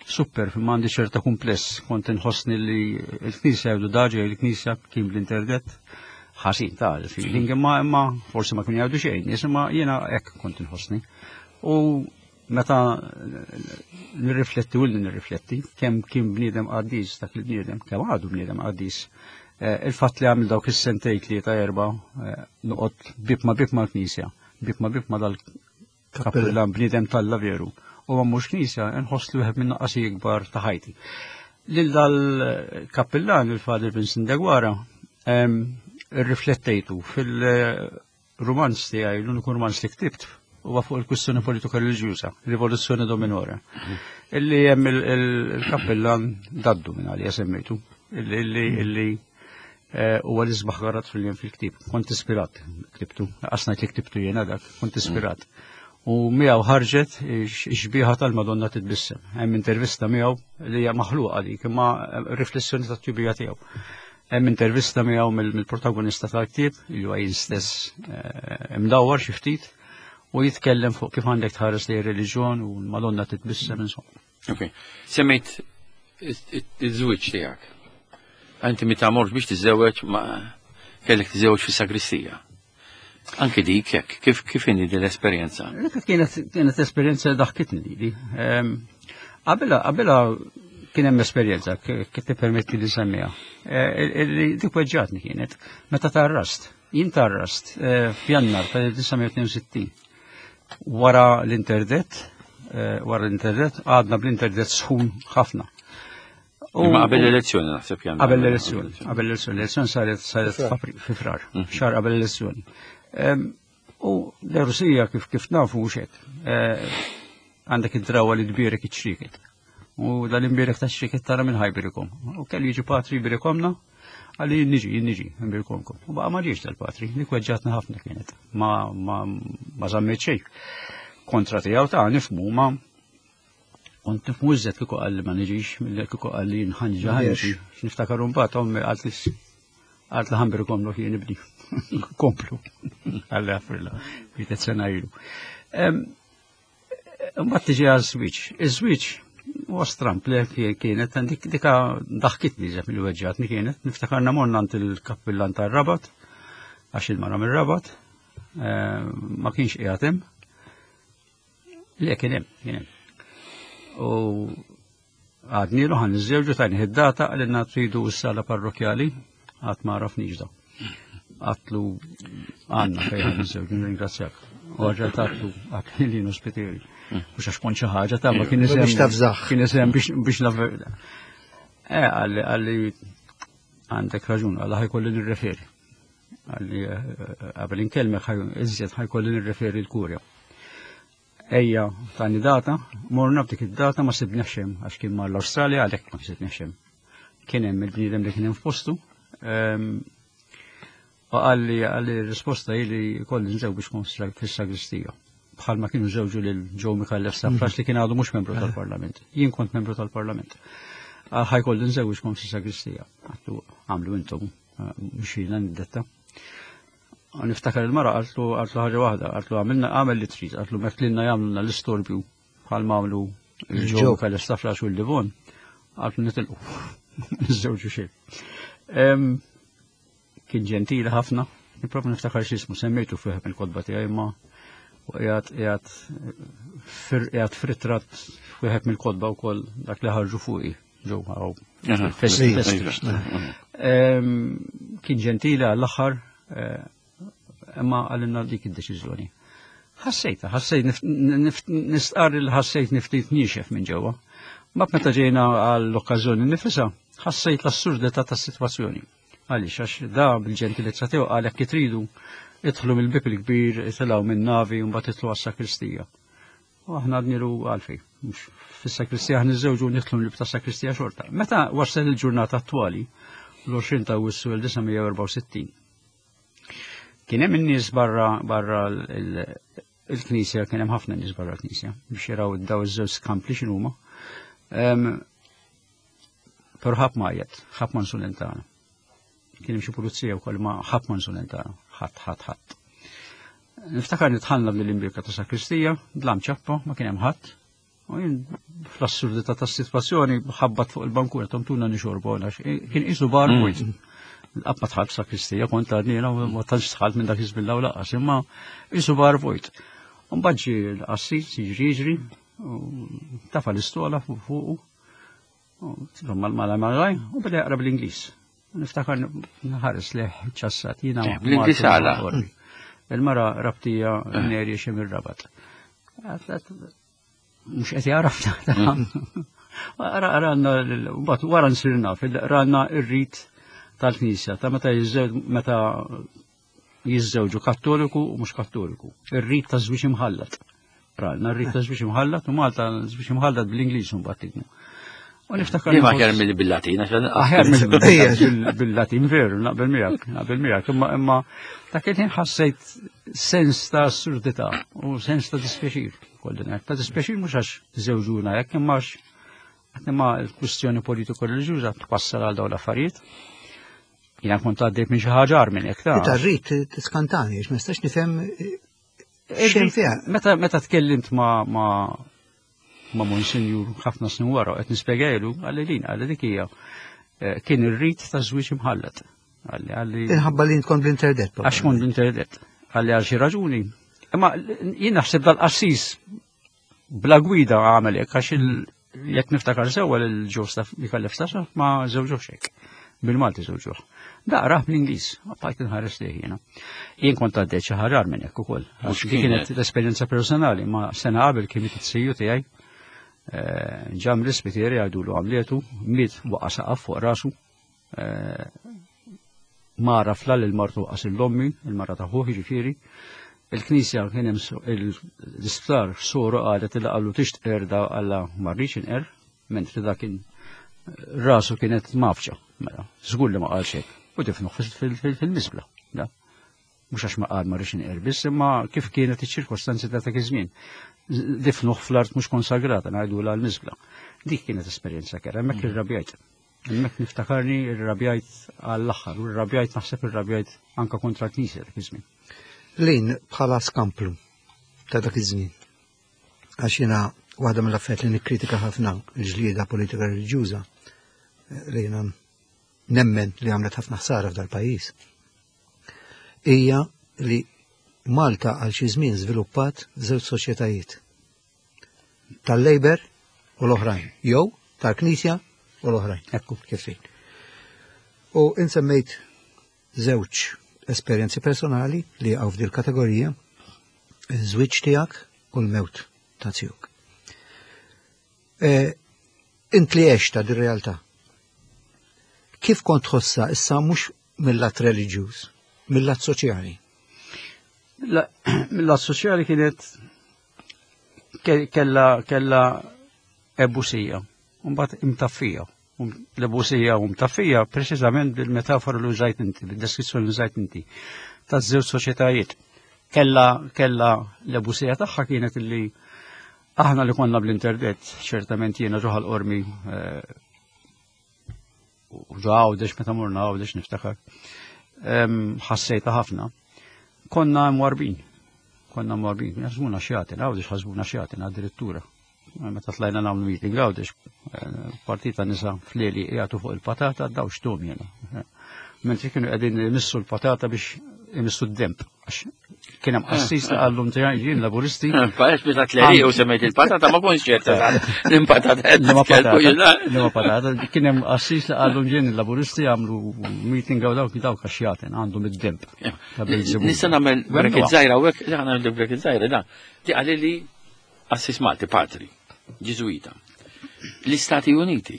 super ma għandi ċerta kumpless, kont inħossni li l-knisja jgħidu daġa il-knisja kien bl-interdet ħażin ta' feeling, imma imma forsi ma kienu jgħidu xejn, nies, imma jiena hekk kont inħossni. U meta nirrifletti u nirrifletti kemm kien bniedem qaddis dak il-bniedem, kemm għadu bniedem qaddis. Eh, Il-fatt li għamil dawk is-sentejn tlieta erba' eh, noqgħod bib ma bib mal-knisja, bib ma bib ma dal-kappillan bniedem t'Alla veru. U ma mhux knisja, nħoss li wieħed minn naqqasi ikbar ta' ħajti. Lil dal-kappillan, il-Father Vincent Deguara, Riflettejtu fil-romanz tiegħi, l-uniku romanz li ktibt huwa fuq il-kwistjoni politika reliġjuża, Rivoluzzjoni Dominora. Illi hemm il-kappellan Daddu minn għalija semmejtu, illi illi huwa l-isbaħ garat fil-jien fil-ktieb. Kont ispirat ktibtu, qasnajt li ktibtu jiena dak, kont ispirat. U miegħu ħarġet ix-xbieha tal-Madonna titbissem. Hemm intervista miegħu li hija maħluqa dik, imma riflessjoni tat-tjubija tiegħu. Hemm intervista miegħu mill-protagonista tal-ktieb, li huwa jien stess imdawwar xi ftit, u jitkellem fuq kif għandek tħares lejn ir-reliġjon u l-Madonna titbissem insomma. Ok. Semmejt iż-żwieġ tiegħek. Inti meta mort biex tiżżewweġ ma kellek tiżżewweġ fis-sagristija. Anki dik hekk, kif kif inhi din l-esperjenza? Dik kienet kienet esperjenza daħkitni lili. Qabelha qabelha kien hemm esperjenza kif tippermetti li semmiha. Li dik weġġatni kienet meta tarrast. Jien tarrast f'Jannar tal-elf disa' mija tnejn u sittin. Wara l-interdett, wara l-interdett għadna bl-interdett sħun ħafna. Imma qabel l-elezzjoni naħseb Jannar. Qabel l-elezzjoni, qabel l-elezzjoni, l-elezzjoni saret saret fi frar, xahar qabel l-elezzjoni. U l-Rusija kif kif nafu mhux hekk. Għandek id-drawa li tbierek iċ-ċrieket. U dal-imbierek ta' ċrieket tara minn ħajbirikom. U kellu jiġi patri jbirikomna, għalli jien niġi, jien niġi, nbirikomkom. U baqa' ma ġiex dal-patri, dik weġġatna ħafna kienet. Ma, ma, ma żammet xejn. Kontra tiegħu ta' nifhmu ma kont nifhmu iżjed kieku qalli ma niġix, milli kieku qalli nħanġa ħanġi. Niftakar mbagħad ommi qalt li qalt li ħanbirikom lok jien ibni. Komplu. Għalli għafrilla, ftit sena ilu. Mbagħad tiġi għaż-żwieġ. Iż-żwieġ huwa stramp li kienet, dik dika daħkitni ġeb mill-weġġatni kienet, niftakarna morna għand il-kappillan tar-Rabat, għax il-mara mir-Rabat, ma kienx qiegħed hemm. Le kien hemm, kien hemm. U għadnilu ħan niżżewġu tajni id-data għalina tridu s-sala parrokjali, għad ma għarafniex da. Għatlu għanna fejn ħan niżżewġu, nirringrazzjak. U għagħat għatlu għatlu li nospiteri. Mux għax kont xi ħaġa ta' ma kien isem. Biex tafżaħ. Kien isem biex, biex naf. Eh, għalli, għalli għandek raġun, għalli ħajkolli nirreferi. Għalli, qabel inkellmek iżjed ħajkolli nirreferi l-kurja. Ejja, tani data, morna b'dik id-data ma sibniex hemm, għax kien mar l-Awstralja għalhekk ma sibniex hemm. Kien hemm il-bniedem li kien hemm f'postu. U għalli, għalli r-risposta hi li kolli nżewġ biex kont fis-sagristija. Bħalma kienu żewġu lil Joe Micallef Stafrace li kien għadu mhux membru tal-Parlament. Jien kont membru tal-Parlament. Ħajkolli nżewġ kont fis-sagristija. Għattu għamlu intom, mhux jiena niddetta. U niftakar il-mara qaltlu, qaltlu ħaġa waħda, qaltlu għamilna għamel li trid, qaltlu mekk lilna jagħmlulna l-istorbju bħalma għamlu il-Joe Micallef Stafrace u l-Livon, qaltlu nitilqu. Niżżewġu xejn. Kien ġentili ħafna, nipprova niftakar x'ismu, semmejtu fih mill-kotba tiegħi imma u qiegħed, qiegħed fir-, qiegħed f'ritratt wieħed mill-kotba wkoll dak li ħarġu fuqi ġew hawn. Aha. Festi, Iva. festi. Iva. Ehm, kien ġentili għall-aħħar, eh, imma għalinna dik id-deċiżjoni. Ħassejta, ħassejt nif-, nif-, nistqarr li ħassejt niftit niexef minn ġewwa. Ma meta ġejna għall-okkażjoni nifisha, ħassejt l-assurdità tas-sitwazzjoni. Għaliex, għax da bil-ġentilezza tiegħu qal jekk tridu idħlu mill-bib il-kbir, itilgħu minn navi u mbagħad idħlu għas-sakristija. U aħna għadnilu għalfej, mhux fis-sakristija aħna niżżewġu nidħlu mill-bib tas-sakristija xorta. Meta waslet il-ġurnata attwali, l-għoxrin ta' Awwissu elf disa' mija u erbgħa u sittin, kien hemm in-nies barra, barra l-, il-knisja, kien hemm ħafna nies barra l-knisja biex jaraw daw iż-żewġ skampli x'inhuma. Ehm, però ħadd ma għajjat, ħadd ma nsulentana. Kien hemm xi pulizija wkoll ma ħadd ma nsulentana, ħadd, ħadd, ħadd. Niftakar nitħallna bl-imbirka ta' sakristija, dlam ċappa, ma kien hemm ħadd. U jien fl-assurdità tas-sitwazzjoni ħabbat fuq il-bankura tomtuna nixorbu għax kien qisu bar Mm. vojt. Qatt ma dħalt sakristija, kont għadni jiena u ma tantx dħalt minn dak iż-żmien l-ewwel laqas, imma qisu bar vojt. U mbagħad ġie l-qassis jiġri jiġri, u tafa l-istola fuq fuqu, u mal-, mal-, mal-, u beda jaqra bl-Ingliż. Niftakar nħares leh ċassat, jiena Eh, bl-Ingliż Martin għala. Orri. Il-mara rabtija Neri xi mir-Rabat. Mhux qed jaraf ta'. Ara, ara, għandna l-, mbagħad wara nsir naf, il-, ranna ir-rit tal-Knisja ta' meta meta jiżżewġu Kattoliku u mhux Kattoliku. Ir-rit ta' żwieġ imħallat. Ralna r-rit ta' żwieġ imħallat u Malta żwieġ imħallat bl-Ingliż mbagħad tikmu. U niftakar. Li ma aħjar mill bil-Latin, aħjar mill bil-Latin veru, naqbel miegħek, naqbel miegħek, imma imma dak il-ħin ħassejt sens ta' assurdità u sens ta' dispjaċir. Kolli ngħid, ta' dispjaċir mhux għax żewġuna hekk imma għax imma l-kwistjoni politiko-reliġjuża twassal għal dawn l-affarijiet. Jiena kont għaddejt minn xi ħaġa agħar minn hekk ta'. Tar-rit tiskantani, ma nistax nifhem xejn fiha. Meta meta tkellimt ma' ma' ma' Monsinjur ħafna snin wara qed nispjegajlu għalli lin għalli dik hija kien ir-rit ta' żwieġ imħallat. Għalli għalli Inħabba li tkun bl-interdett. Għax kont bl-interdett. Għalli għal xi raġuni. Imma jien naħseb dal-qassis bla gwida għamel hekk għax jekk niftakar sewwa lil Ġostaf Micallef Stafrace ma żewġuhx hekk. Bil-Malti żewġuh. Daqrah bl-Ingliż, bqajt inħares lejh jiena. Jien kont għaddejt xi ħaġa minn hekk ukoll. Għax kienet l-esperjenza personali, ma sena qabel kien miet it-siju tiegħi. Ġam l-ispitieri għajdulu għamlietu, miet waqa' saqaf fuq rasu. Mara fla lil martu waqas l-ommi, il-mara ta' ħuh jiġifieri. Il-knisja kien hemm l-isptar soru qalet li qalu tixtieq erda għalla ma rridx inqer, mentri dak kien rasu kienet mafċa. Mela, żgur li ma qalx hekk. U difnuh fil-miżbla. Mhux għax ma qal ma rridx inqer biss, imma kif kienet iċ-ċirkostanzi ta' dak iż-żmien. Difnuh fl-art mhux konsagrata, ngħidulha l-miżbla. Dik kienet esperjenza kera, hemmhekk irrabjajt. Hemmhekk niftakarni irrabjajt għall-aħħar, u rrabjajt naħseb irrabjajt anka kontra l-Knisja dak iż-żmien. Lin bħala skamplu ta' dak iż-żmien. Għax jiena waħda mill-affarijiet li nikkritika ħafna l-ġlieda politika reliġjuża li jiena nemmen li għamlet ħafna ħsara f'dal pajjiż. Hija li Malta għal xi żmien żviluppat żewġ soċjetajiet. Tal-Labour u l-oħrajn, jew tal-Knisja u l-oħrajn. Ekku. Kif fejn. U insemmejt żewġ esperjenzi personali li jaqgħu f'dil kategorija, iż-żwieġ tiegħek u l-mewt ta' tiegħek. Int li għexta dir-realtà. Kif kont tħossha issa mhux mill-lat reliġjuż, mill-lat soċjali? Mill-lat soċjali kienet kella kella ebusija, u mbagħad imtaffija. L-ebusija u mtaffija preċiżament bil-metafora li użajt inti, bil-deskrizzjoni li użajt inti, taż-żewġ soċjetajiet. Kella kella l-ebusija tagħha kienet illi aħna li konna bl-interdett, ċertament jiena ġo Qormi u ġo Għawdex meta morna Għawdex niftakar, ħassejta ħafna. Konna mwarbin, konna mwarbin, ħasbuna xjatin, Għawdex ħasbuna xjatin addirittura. Meta tlajna nagħmlu meeting Għawdex, partita nisa flieli jagħtu fuq il-patata, daw xtum jiena. Mentri kienu qegħdin imissu l-patata biex imissu d-demp. Kien hemm qassis li qallhom tiegħi jien Laburisti. Parex biex tleri u semmejt il-patata ma kontx ċerta l-impatata. Li ma patata. Kien hemm qassis li qallhom jien il-Laburisti għamlu meeting għaw dawk dawk għax jagħten għandhom id-demp. Nista' nagħmel bracket żgħira hawnhekk, nagħmel bracket żgħira da. Di qali li qassis Malti patri, Ġiżwita. L-Istati Uniti.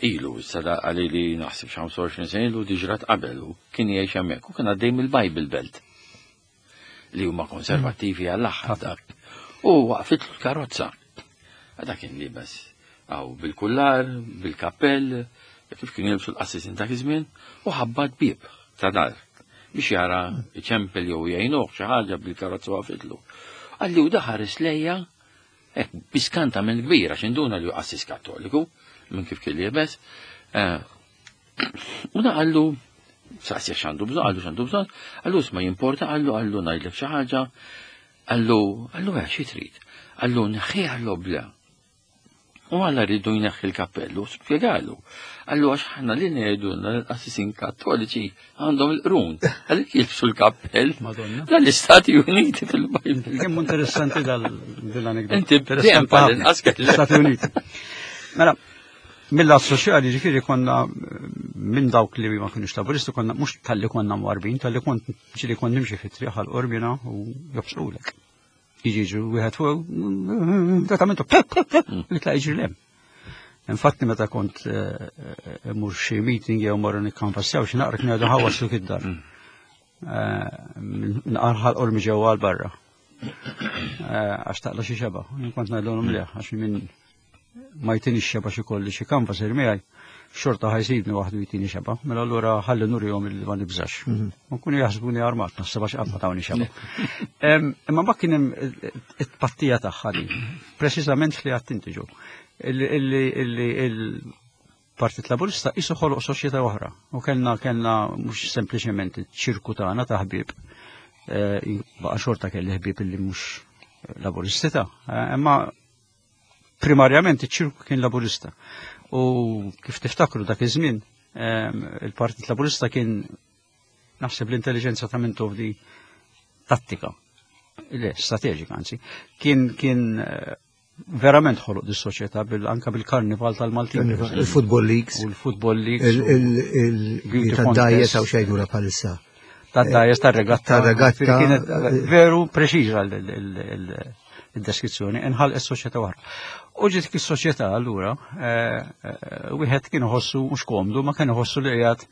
Ilu, sada għalli li naħseb xi ħamsa u għoxrin sena ilu diġrat qabel u kien jgħix hemmhekk u kien għaddej mill-Bible Belt li huma konservattivi għall-aħħar dak. U waqfitlu l-karozza. Dak kien libes għaw bil-kullar, bil-kappell, kif kien jilbsu l-qassisin dak iż-żmien, u ħabbat bieb ta' dar biex jara ċempel jew jgħinuh xi ħaġa bil-karozza waqfitlu. Għalli u daħares lejja, hekk biskanta minn kbira x'induna li hu qassis Kattoliku minn kif kien liebes. U da qallu, saqsija x'għandu bżonn, qallu x'għandu bżonn, qallu isma' jimporta, qallu qallu ngħidlek xi ħaġa, qallu qallu eh xi trid, qallu neħħiha l-obla. U għalla rridu jneħħi l-kappellu, spjegalu. Qallu għax ħana li ngħidulna l-qassisin Kattoliċi għandhom il-qrun, għalhekk jilbsu l-kappell. Madonna. Dal-Istati Uniti fil-Bible. Kemm interessanti dal-anekdota. Inti dejjem bħal-inqas kellek. L-Istati Uniti. Mela, mill-lat soċjali ġifieri konna minn dawk li ma kienux Laburisti, konna mhux talli konna mwarbin, talli kont ġieli kont nimxi fit-triq għal Qormina u jobsqulek. Jiġi jiġu wieħed fuq, tratamentu, li tla jiġri lem. Infatti meta kont eh, eh, mur xi meeting jew morru nikkanvassjaw xi naqra kienu jgħidu ħawaslu id-dar. Mm. Nqarħal qormi ġewwa għal barra. Għax taqla xi xeba. Jien kont ngħidilhom le, għax minn ma jtini xeba xi kolli xi kanvas miegħi, xorta ħa jsibni waħdu jtini xeba. Mela allura ħalli nurihom li ma nibżax. Mhm. Ma kunu jaħsbuni armat, naħseb għax qatt ma tawni xeba. Imma ma kien hemm it-pattija tagħha di, preċiżament li għedt inti ġo. Illi il-Partit Laburista isu ħoloq soċjetà oħra. U kellna kellna mhux sempliċement ċirku tagħna ta' ħbieb. Eh, baqa' xorta kelli ħbieb illi mhux Laburisti ta' eh, imma primarjament iċ-ċirku kien Laburista. U kif tiftakru dak iż-żmien, il-Partit Laburista kien naħseb l-intelligenza ta' Mintoff di tattika, le, strateġika anzi, kien kien eh, verament ħoloq dis soċjetà bil anka bil-karnival tal-Maltin. Il-Football Leagues. U l-Football Leagues. Il-tad-dajes għaw xejdura palissa. Tad-dajes tar-regatta. Tar-regatta. Kienet veru preċiża il-deskrizzjoni, inħalqet is-soċjetà oħra. U ġiet is-soċjetà allura, eh, eh, wieħed kien iħossu mhux komdu, ma kien iħossu li qiegħed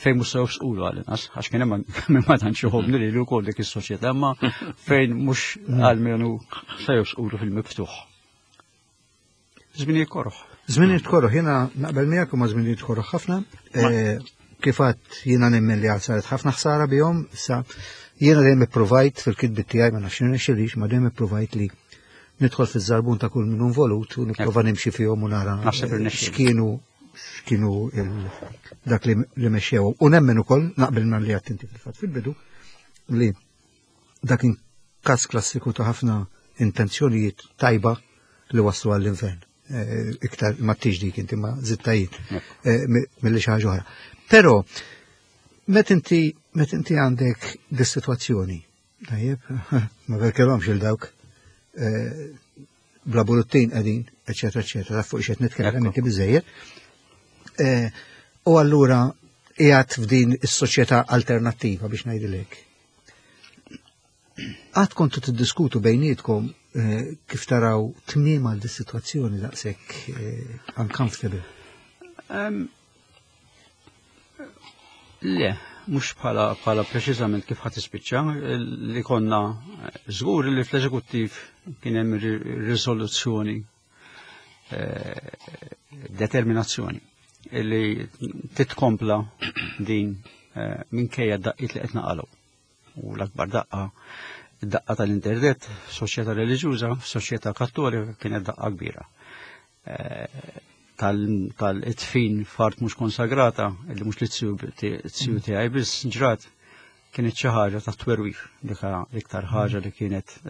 fejn mhux sew squlu għal inqas, għax kien hemm min ma tantx iħobbni li wkoll dik is-soċjetà, ma fejn mhux għalmenu se squlu fil-miftuħ. Żminijiet koroh. Żminijiet koroh, jiena naqbel miegħek u ma żminijiet koroh ħafna. Eh, kif għedt jiena nemmen li saret ħafna ħsara bihom, sa jiena dejjem ippruvajt fil-kitbit tiegħi ma nafx nirnexxilix, ma dejjem ippruvajt li nidħol fiż-żarbun ta' kull min involut u nipprova nimxi fihom u nara x'kienu x'kienu dak li mexxew. U nemmen ukoll naqbel ma li għedt inti fil-fatt fil-bidu li dak kien każ klassiku ta' ħafna intenzjonijiet tajba li waslu għall-infern. Eh, iktar ma tiġ dik inti ma zittajiet eh, mill-li xi ħaġa oħra. Però met inti met inti għandek dis-sitwazzjoni, tajjeb, ma verkelhomx il dawk eh, bla bullettin qegħdin, eċetera, eċetera, fuq xed nitkellem inti biżejjed. U allura qiegħed f'din is-soċjetà alternattiva biex ngħidilek. Għad kontu tiddiskutu bejnietkom eh, kif taraw tmiem għal dis-sitwazzjoni daqshekk eh, uncomfortable? Le, mhux bħala bħala preċiżament kif ħadd tispiċċa, li konna żgur li fl-eżekuttiv kien hemm riżoluzzjoni, eh, determinazzjoni li titkompla din minkejja d-daqqiet li qed naqalgħu. U l-akbar daqqa, daqqa tal-internet, soċjetà reliġjuża, soċjetà kattolika kienet daqqa kbira. Tal-itfin f'art mhux konsagrata, li mhux li t-siju tiegħi biss ġrat, kienet xi ħaġa ta' twerwir, l-iktar ħaġa li kienet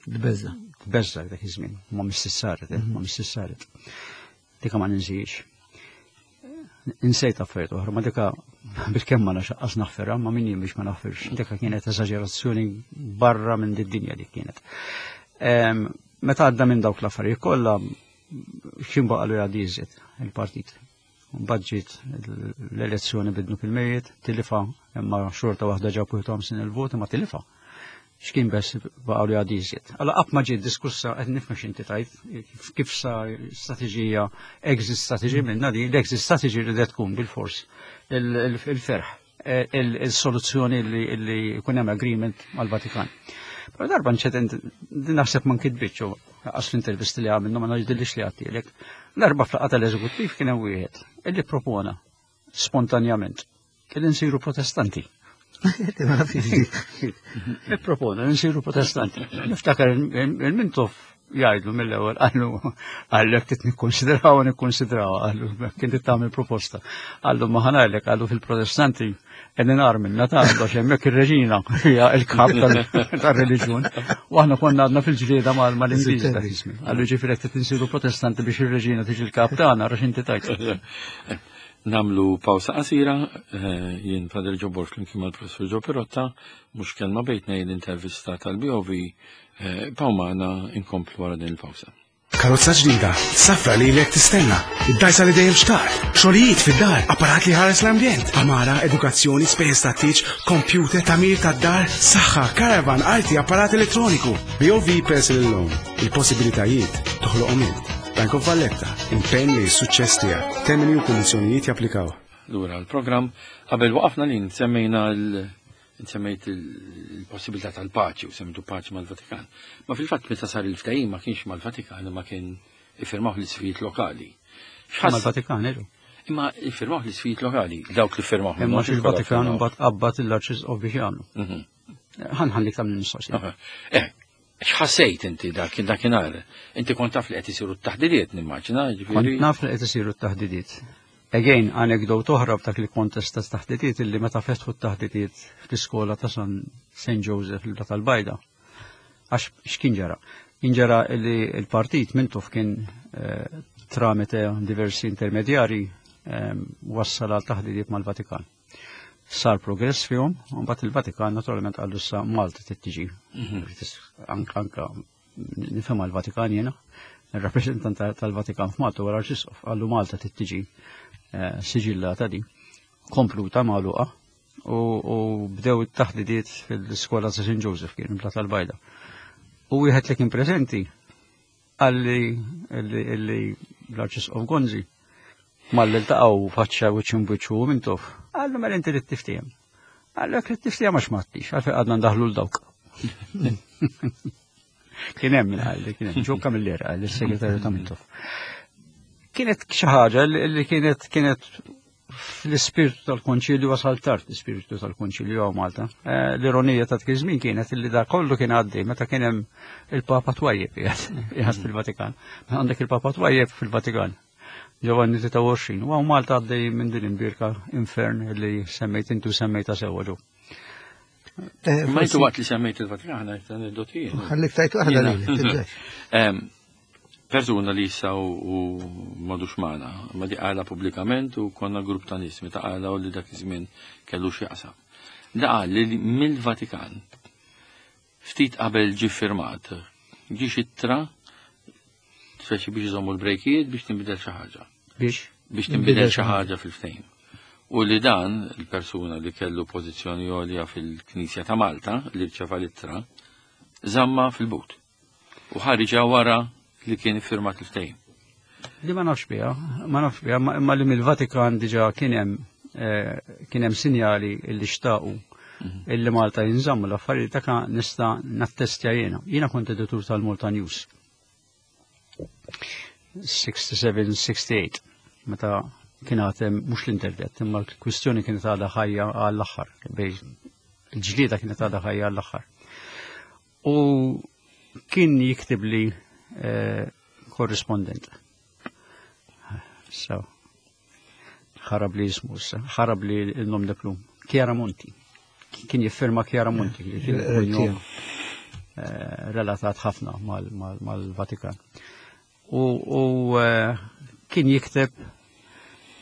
Tbeżza. Tbeżza dak iż-żmien, ma missis saret, ma missis saret. Dika ma ninsiex. Insejt affarijiet oħra, ma dika bil-kemm ma naxaqqas naħfirha, ma min jien biex ma naħfirx. Dika kienet eżaġerazzjoni barra minn did-dinja dik kienet. Meta għadda minn dawk l-affarijiet kollha, x'in baqalu jgħaddi iżjed il-partit. Mbagħad ġiet l-elezzjoni bidnu fil-mejiet, tilifa, imma xorta waħda ġab wieħed u ħamsin il-vot, imma tilifa. X'kien bess baqalu jgħaddi iżjed. Allora qatt ma ġiet diskussa qed nifhem x'inti tajt, kif sa strateġija, exit strategy minna di, l-exit strategy li tkun bil-fors il-ferħ, il-soluzzjoni li jkun hemm agreement mal-Vatikan. Però darba nċedent, din naħseb ma nkitbitx, għas l-intervisti li għamilna ma ngħidilix li għattilek. Darba fl-laqgħa tal-eżekuttiv kien hemm wieħed illi propona spontanjament illi nsiru protestanti. Ippropona nsiru protestanti. Niftakar il-Mintoff jgħidlu mill-ewwel qallu qallu jekk trid nikkonsidraw nikkonsidraw qallu kien trid tagħmel proposta. Qallu ma ħanajlek qallu fil-Protestanti qegħdin agħar minna ta' għax hemmhekk ir-reġina hija l-kap tar-reliġjon. U aħna konna għadna fil-ġlieda mal-Ingliż dak iż-żmien. Qallu ġifieri qed trid insiru Protestanti biex ir-reġina tiġi l-kap tagħna għax inti tajt. Namlu pawsa qasira, jien Father Joe Borg flimkien mal-Professur Joe Pirotta, mhux kelma bejtna l-intervista tal-B O V, paw magħna inkomplu wara din il-pawsa. Karozza ġdida, safra li lek tistenna, id-dajsa li dejjem xtaqt, xogħlijiet fid-dar, apparat li ħares l-ambjent, amara, edukazzjoni, spejjeż tat-tieġ, computer, tagħmir tad-dar, saħħa, caravan, arti, apparat elettroniku. B O V Personal Loan, il-possibilitajiet toħloqhom int. Bank of Valletta, impenn li s-suċċess tiegħek. Termini u kundizzjonijiet japplikaw. Lura l-programm qabel waqafna li semmejna l semmejt il-possibilità tal-paċi u semmejtu paċi mal-Vatikan. Ma fil-fatt meta sar il-ftehim ma kienx mal-Vatikan imma kien iffirmaw l-isqfijiet lokali. X'ħass- Mal-Vatikan, eġu. Imma iffirmaw l-isqfijiet lokali, dawk li firmaw. Imma il-Vatikan mbagħad qabbad l-Arċisqof biex jagħmlu. Mhm. Ħan ħallik tagħmel mistoqsija. Eh, x'ħassejt inti dak dakinhar? Inti kont taf li qed isiru t-taħdidiet nimmaġina, ġifieri. Kont naf li qed isiru t-taħdidiet. Again, anekdot oħra f'dak il kontest ta' taħdidiet illi meta fetħu t-taħdidiet fl-iskola ta' San Saint Joseph il tal-Bajda. Għax x'kien ġara? Kien ġara illi il-partit Mintoff kien eh, tramite diversi intermedjari eh, wassal għal taħdidiet mal-Vatikan. Sar progress fihom, u mbagħad il-Vatikan naturalment qallu sa Malta trid tiġi. Anka anka nifhem l-Vatikan jiena, il-rappresentant tal-Vatikan f'Malta wara l-Arċisqof qallu Malta trid tiġi eh, siġillata di, kompluta magħluqa u, u bdew it-taħdidiet fil-iskola ta' Saint Joseph kien Blat tal-Bajda. U wieħed li kien preżenti qalli illi illi l-Arċisqof Gonzi malli ltaqgħu faċċa wiċċ imbiċċu Mintoff. Qallu mela inti trid tiftiehem. Qallu jekk trid tiftiehem għax m'għadtix, għalfejn għadna ndaħlu 'l dawk. Kien hemm min qalli, kien hemm Joe Camilleri qal is-segretarju ta' Mintoff. Kienet xi ħaġa li li kienet kienet fl-ispirtu tal-konċilju wasal tard l-ispirtu tal-konċilju hawn Malta. Eh, L-ironija ta' dak iż-żmien kienet illi da kollu kien għaddej meta kien hemm il-Papa twajjeb qiegħed fil-Vatikan. Għandek il-Papa twajjeb fil-Vatikan. Giovanni tlieta u għoxrin. U hawn Malta għaddej minn din imbierka infern li semmejt intu semmejta sewwa ġu. Eh, Ma intu waqt li semmejt il-Vatikan, għajt aneddotijiet. Ħallik tajt waħda Jiena. li, tibżax. Em, Persuna li issa u u m'għadux magħna, ma di qala pubblikament u konna grupp ta' nies meta qala u li dak iż-żmien kellu x'jaqsam. Da qal li mill-Vatikan ftit qabel ġi firmat, ġi ittra speċi biex iżommu l-brejkijiet biex tinbidel xi ħaġa. Biex? Biex tinbidel xi ħaġa fil-ftehim. U li dan, il-persuna li kellu pożizzjoni għolja fil-Knisja ta' Malta, li rċeva l-ittra, żamma fil-but. U ħariġa wara li kien iffirmat il-ftehim. Li ma nafx biha, ma nafx biha, ma imma li mill-Vatikan diġà kien hemm eh, kien hemm sinjali illi xtaqu illi Malta jinżammu l-affarijiet ta' nista' nattestja jiena. Jiena kont editur tal-Malta News. sixty-seven sixty-eight meta kien għatem mhux l-internet, imma l-kwistjoni kienet għadha ħajja għall-aħħar, bej il-ġlieda kienet għadha ħajja għall-aħħar. U kien jiktib li eh, korrispondent. So, ħarab li jismu issa, ħarab li il-nom de plume. Chiara Monti. Kien jiffirma Chiara Monti, li kien kunjom, eh, relatat ħafna mal- mal- mal-Vatikan. U, u eh, kien jikteb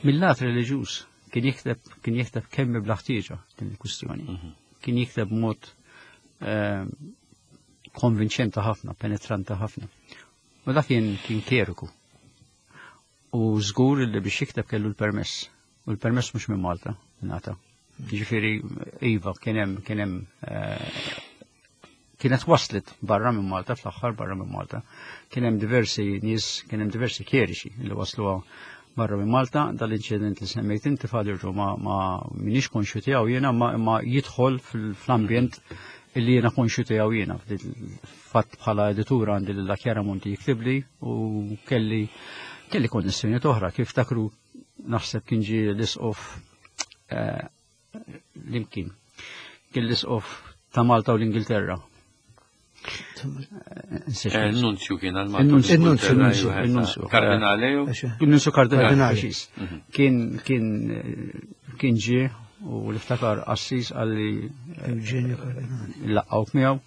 mill-lat reliġjuż, kien jikteb kien jikteb kemm bla ħtieġa din il-kwistjoni. Kien jikteb mod eh, konvinċenti ħafna, penetranta ħafna. U dak kien kien kjeriku. U żgur li biex jikteb kellu l-permess. U l-permess mhux minn Malta, ngħata. Ġifieri iva kien hemm kien hemm eh, kienet waslet barra minn Malta, fl-aħħar barra minn Malta. Kien hemm diversi nies, kien hemm diversi kjeriċi li wasluha barra minn Malta. Dal-inċident li semmejt inti, Father Joe, ma, ma minix konxju tiegħu jiena, ma, ma jidħol fil-ambjent illi jiena konxju tiegħu jiena. Fatt bħala editura għandi lil Chiara Monti jiktibli u kelli kelli konnessjoni oħra kif takru naħseb kien ġie l-isqof eh, l-imkien. Kien l-isqof ta' Malta u l-Ingilterra. Eh, Il-nunzju kien għal Malta. Il-nunzju, Il-nunzju, il-nunzju, il-nunzju. Kardinale jew? Il-nunzju kardinali, Kardinali. preċiż. Kien kien kien ġie u l-iftakar qassis qalli Eugenio Cardinali. laqgħuk miegħu.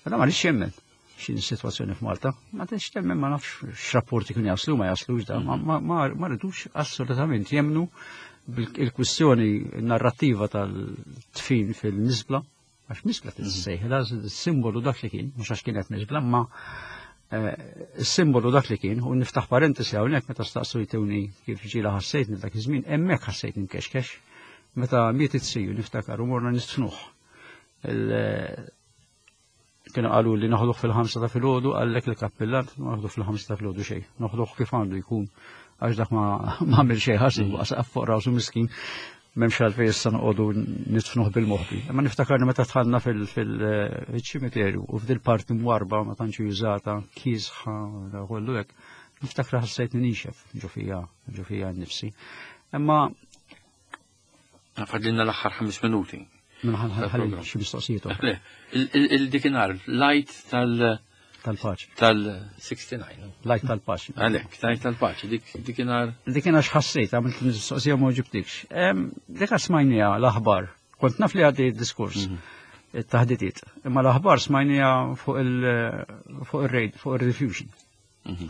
Għada ma rridx jemmen x'in situazzjoni f'Malta. Ma tridx temmen, ma nafx x'rapporti kienu jaslu, ma jaslux da, ma, ma, ma, ma rridux assolutament jemnu bil-kwistjoni narrativa tal-tfin fil-miżbla, għax miżbla tissejħ, simbolu dak li kien, mhux għax kienet miżbla, ma eh, simbolu dak li kien, u niftaħ parentesi hawnhekk meta staqsu jtewni kif ġila ħassejtni dak iż-żmien, hemmhekk ħassejtni mkexkex, meta miet it-siju niftakar u morna nistfnuh. Kienu qalu li noħduh fil-ħamsa ta' filgħodu, qallek il-kappillan noħduh fil-ħamsa ta' filgħodu xejn. Noħduh kif għandu jkun, għax dak ma għamel xejn ħażin, waqa' fuq rasu miskin, m'hemmx għalfejn issa noqogħdu nidfnuh bil-moħbi. Imma niftakarni meta dħalna fil-ċimiterju u f'dil parti mwarba ma tantx jużata, kiesħa, kollu hekk, niftakar ħassejtni nixef ġo fija, ġo fija nnifsi. Imma Fadlilna l-aħħar ħames minuti. Minħalli xi mistoqsijiet oħra. Le, il-dikinhar, l-Għid tal- Tal-paċi. Tal-sitta u disgħin. L-Għid tal-paċi. Għalek, l-Għid tal-paċi, dik dikinhar. Dik kien għax ħassejt, għamilt mistoqsija ma ġibtikx. Dik smajnija l-aħbar. Kont naf li għaddi diskors, it-taħditiet. Imma l-aħbar smajnija fuq il-raid, fuq il-Rediffusion.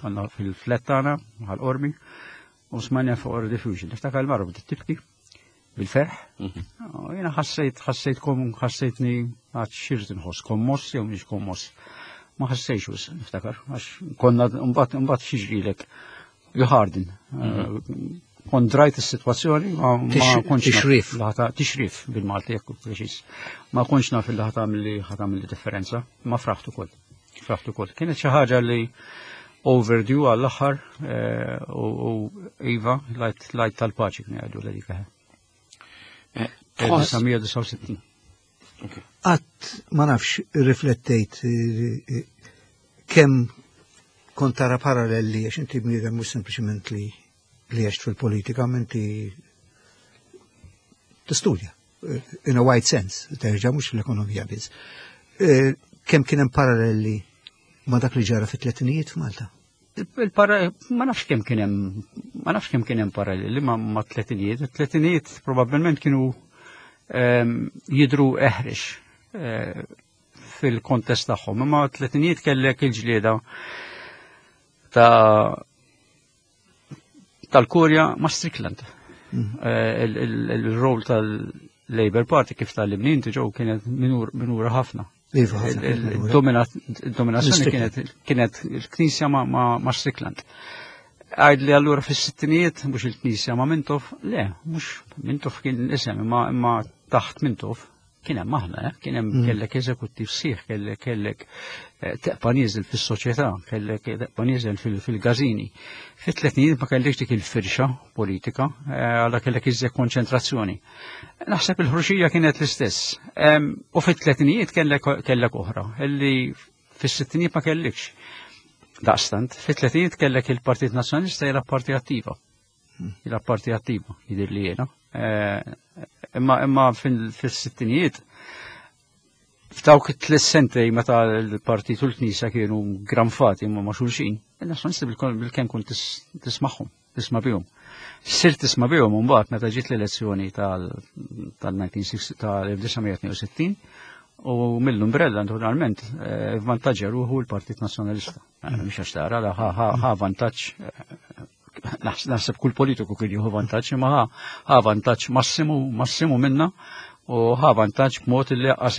Konna fil-flat tagħna, Ħal Qormi, u smajnija fuq il-Rediffusion. Niftakar il-mara bdiet tibki bil-ferħ. Jiena ħassejt, ħassejt kom, ħassejtni għad xirt nħoss, kommoss jew mhix kommoss. Ma ħassejx wis, niftakar, għax konna mbagħad mbagħad xiġrilek you harden. Kont drajt is-sitwazzjoni, ma kontx Tixrif. Tixrif bil-Malti, jekk preċiż. Ma kontx naf li ħa tagħmel ħa tagħmel differenza, ma fraħt ukoll. Fraħt ukoll. Kienet xi ħaġa li overdue għall-aħħar u iva, l-Għid tal-paċi kien jgħidu l dik. elf disa' mija disgħa u sittin. Qatt ma nafx riflettejt kemm kont tara paralleli, għax inti bniedem mhux sempliċement li li għext fil-politika, inti tistudja in a wide sense, terġa' mhux l-ekonomija biss. Kemm kien hemm paralleli ma dak li ġara fit-tletinijiet f'Malta? Ma nafx kemm kien hemm, ma nafx kemm kien hemm paralleli ma, ma tletinijiet. Tletinijiet probabbilment kienu jidru eħrex fil-kontest tagħhom, imma tletinijiet kellek il-ġlieda ta' tal-Kurja ma' Strickland. Il-rol tal-Labour Party kif tal-Limnin ġew kienet minura ħafna. Il-dominazzjoni kienet kienet il-Knisja ma' Strickland. Għajd li allura fis-sittinijiet mhux il-Knisja ma' Mintoff, le, mhux Mintoff kien l-isem, imma taħt Mintoff kien hemm aħna, kien hemm kellek eżekuttiv sieħ, kellek kellek teqpa' nieżel fis-soċjetà, kellek teqpa' nieżel fil-gażini. Fit-tletinijiet ma kellekx dik il-firxa politika, għalla kellek iżjed konċentrazzjoni. Naħseb il-ħruxija kienet l-istess. U fit-tletinijiet kellek oħra, illi fis-sittinijiet ma kellekx. Daqstant, fit-tletinijiet kellek il-Partit Nazzjonalista jilgħab parti attiva. Jilgħab parti attiva, jidir li jiena. Imma imma fis-sittinijiet f'dawk it-tliet sentej meta l-partit u l-Knisja kienu granfati ma ma' xulxin, il-Nazzjonalisti bil-kemm kont tismagħhom, tisma' bihom. Sir tisma' bihom mbagħad meta ġiet l-elezzjoni tal-elf disa' mija tnejn u sittin u mill-umbrella naturalment vantaġġa ruħu l-Partit Nazzjonalista. Mhux għax tara, ħa vantaġġ, naħseb kull politiku kien jieħu vantaġġ, imma ħa vantaġġ massimu, massimu minna u ħa vantaġġ b'mod li għas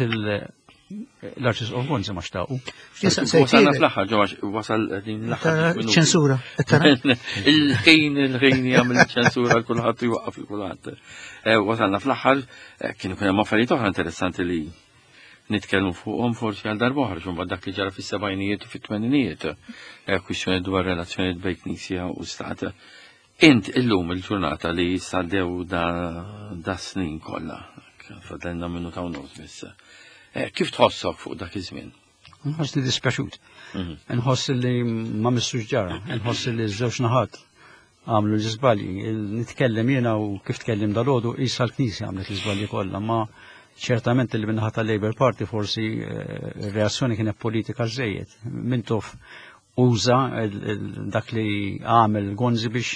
l-Arċisqof Gonzi ma xtaqu. Wasalna fl-aħħar, ġo, wasal din l-aħħar. Ċensura. Il-ħin, il-ħin jagħmel ċensura l kulħadd u jwaqqaf il kulħadd. Wasalna fl-aħħar, kienu kien hemm affarijiet oħra interessanti li nitkellmu fuqhom forsi għal darba oħra, xumba dak li ġara fis-sebgħinijiet u fit-tmeninijiet, kwistjoni dwar relazzjonijiet bejn Knisja u Stat. Int illum il-ġurnata li saddew da, da snin kollha, fadlna minnu ta' nofs biss. Kif tħossok fuq dak iż-żmien? Nħoss li dispjaċut. Nħoss li ma missux ġara, nħoss li ż-żewġ naħat għamlu l-iżbalji. Nitkellem jiena u kif tkellim dal-għodu, issa l-Knisja għamlet l-iżbalji kollha, ma ċertament li minnaħa tal-Labour Party forsi reazzjoni kienet politika żejjed. Mintoff uża dak li għamel Gonzi biex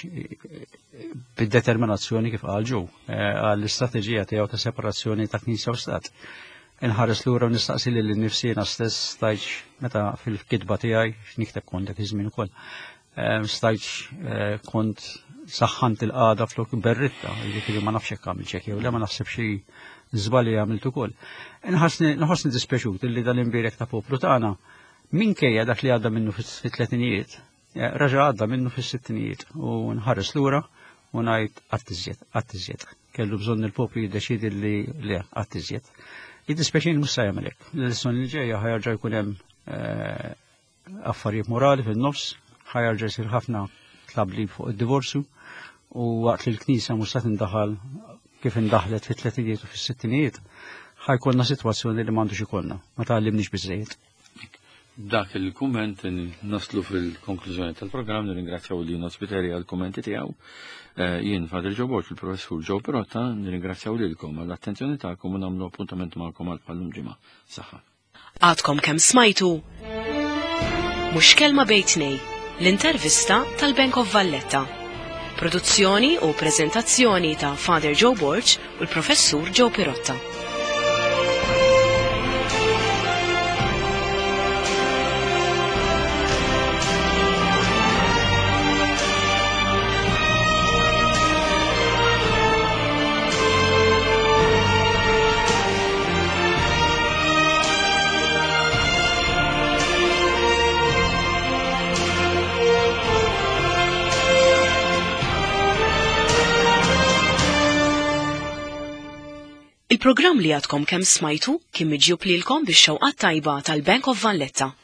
bid-determinazzjoni kif qal ġew għall-istrateġija tiegħu ta' separazzjoni ta' Knisja u Stat. Inħares lura u nistaqsi lil nifsi jiena stess stajtx meta fil-kitba tiegħi x'nikteb kont dak iż-żmien ukoll. Stajtx kont saħħant il-qagħda flok berritta, jiġifieri ma nafx hekk għamil ċek jew le, ma naħseb xi żbalji għamilt ukoll. Nħossni dispjaċut illi dal-imbierek ta' poplu tagħna minkejja dak li għadda minnu fit-tletinijiet, raġa għadda minnu fis-sittinijiet u nħares lura u ngħid qatt iżjed, qatt iżjed. Kellu bżonn il-poplu jiddeċiedi li le qatt iżjed. Jiddispjaċini mhux se jagħmel hekk. L-elezzjoni li ġejja ħa jerġa' jkun hemm eh, affarijiet morali fin-nofs, ħa jerġa' jsir ħafna tlabli fuq id-divorzju u waqt li l-Knisja mhux se tindaħal kif indaħlet fit-tletinijiet u fis-sittinijiet, ħa jkollna sitwazzjoni li m'għandux ikollna, ma tgħallimniex biżejjed. Dak il-kumment naslu fil-konklużjoni tal-programm, nirringrazzjaw lil Spiteri għal-kummenti tiegħu. Eh, jien Father Joe Borg, il-professur Joe Pirotta, nirringrazzjaw lilkom għall-attenzjoni tagħkom u nagħmlu appuntament magħkom għal bħal-lum ġimgħa. Saħħa. Għadkom kemm smajtu Mhux Kelma Bejn Tnejn, l-intervista tal-Bank of Valletta. Produzzjoni u prezentazzjoni ta' Father Joe Borg u l-professur Joe Pirotta. Il-programm li għadkom kemm smajtu kien miġjub lilkom bix-xewqat tajba tal-Bank of Valletta.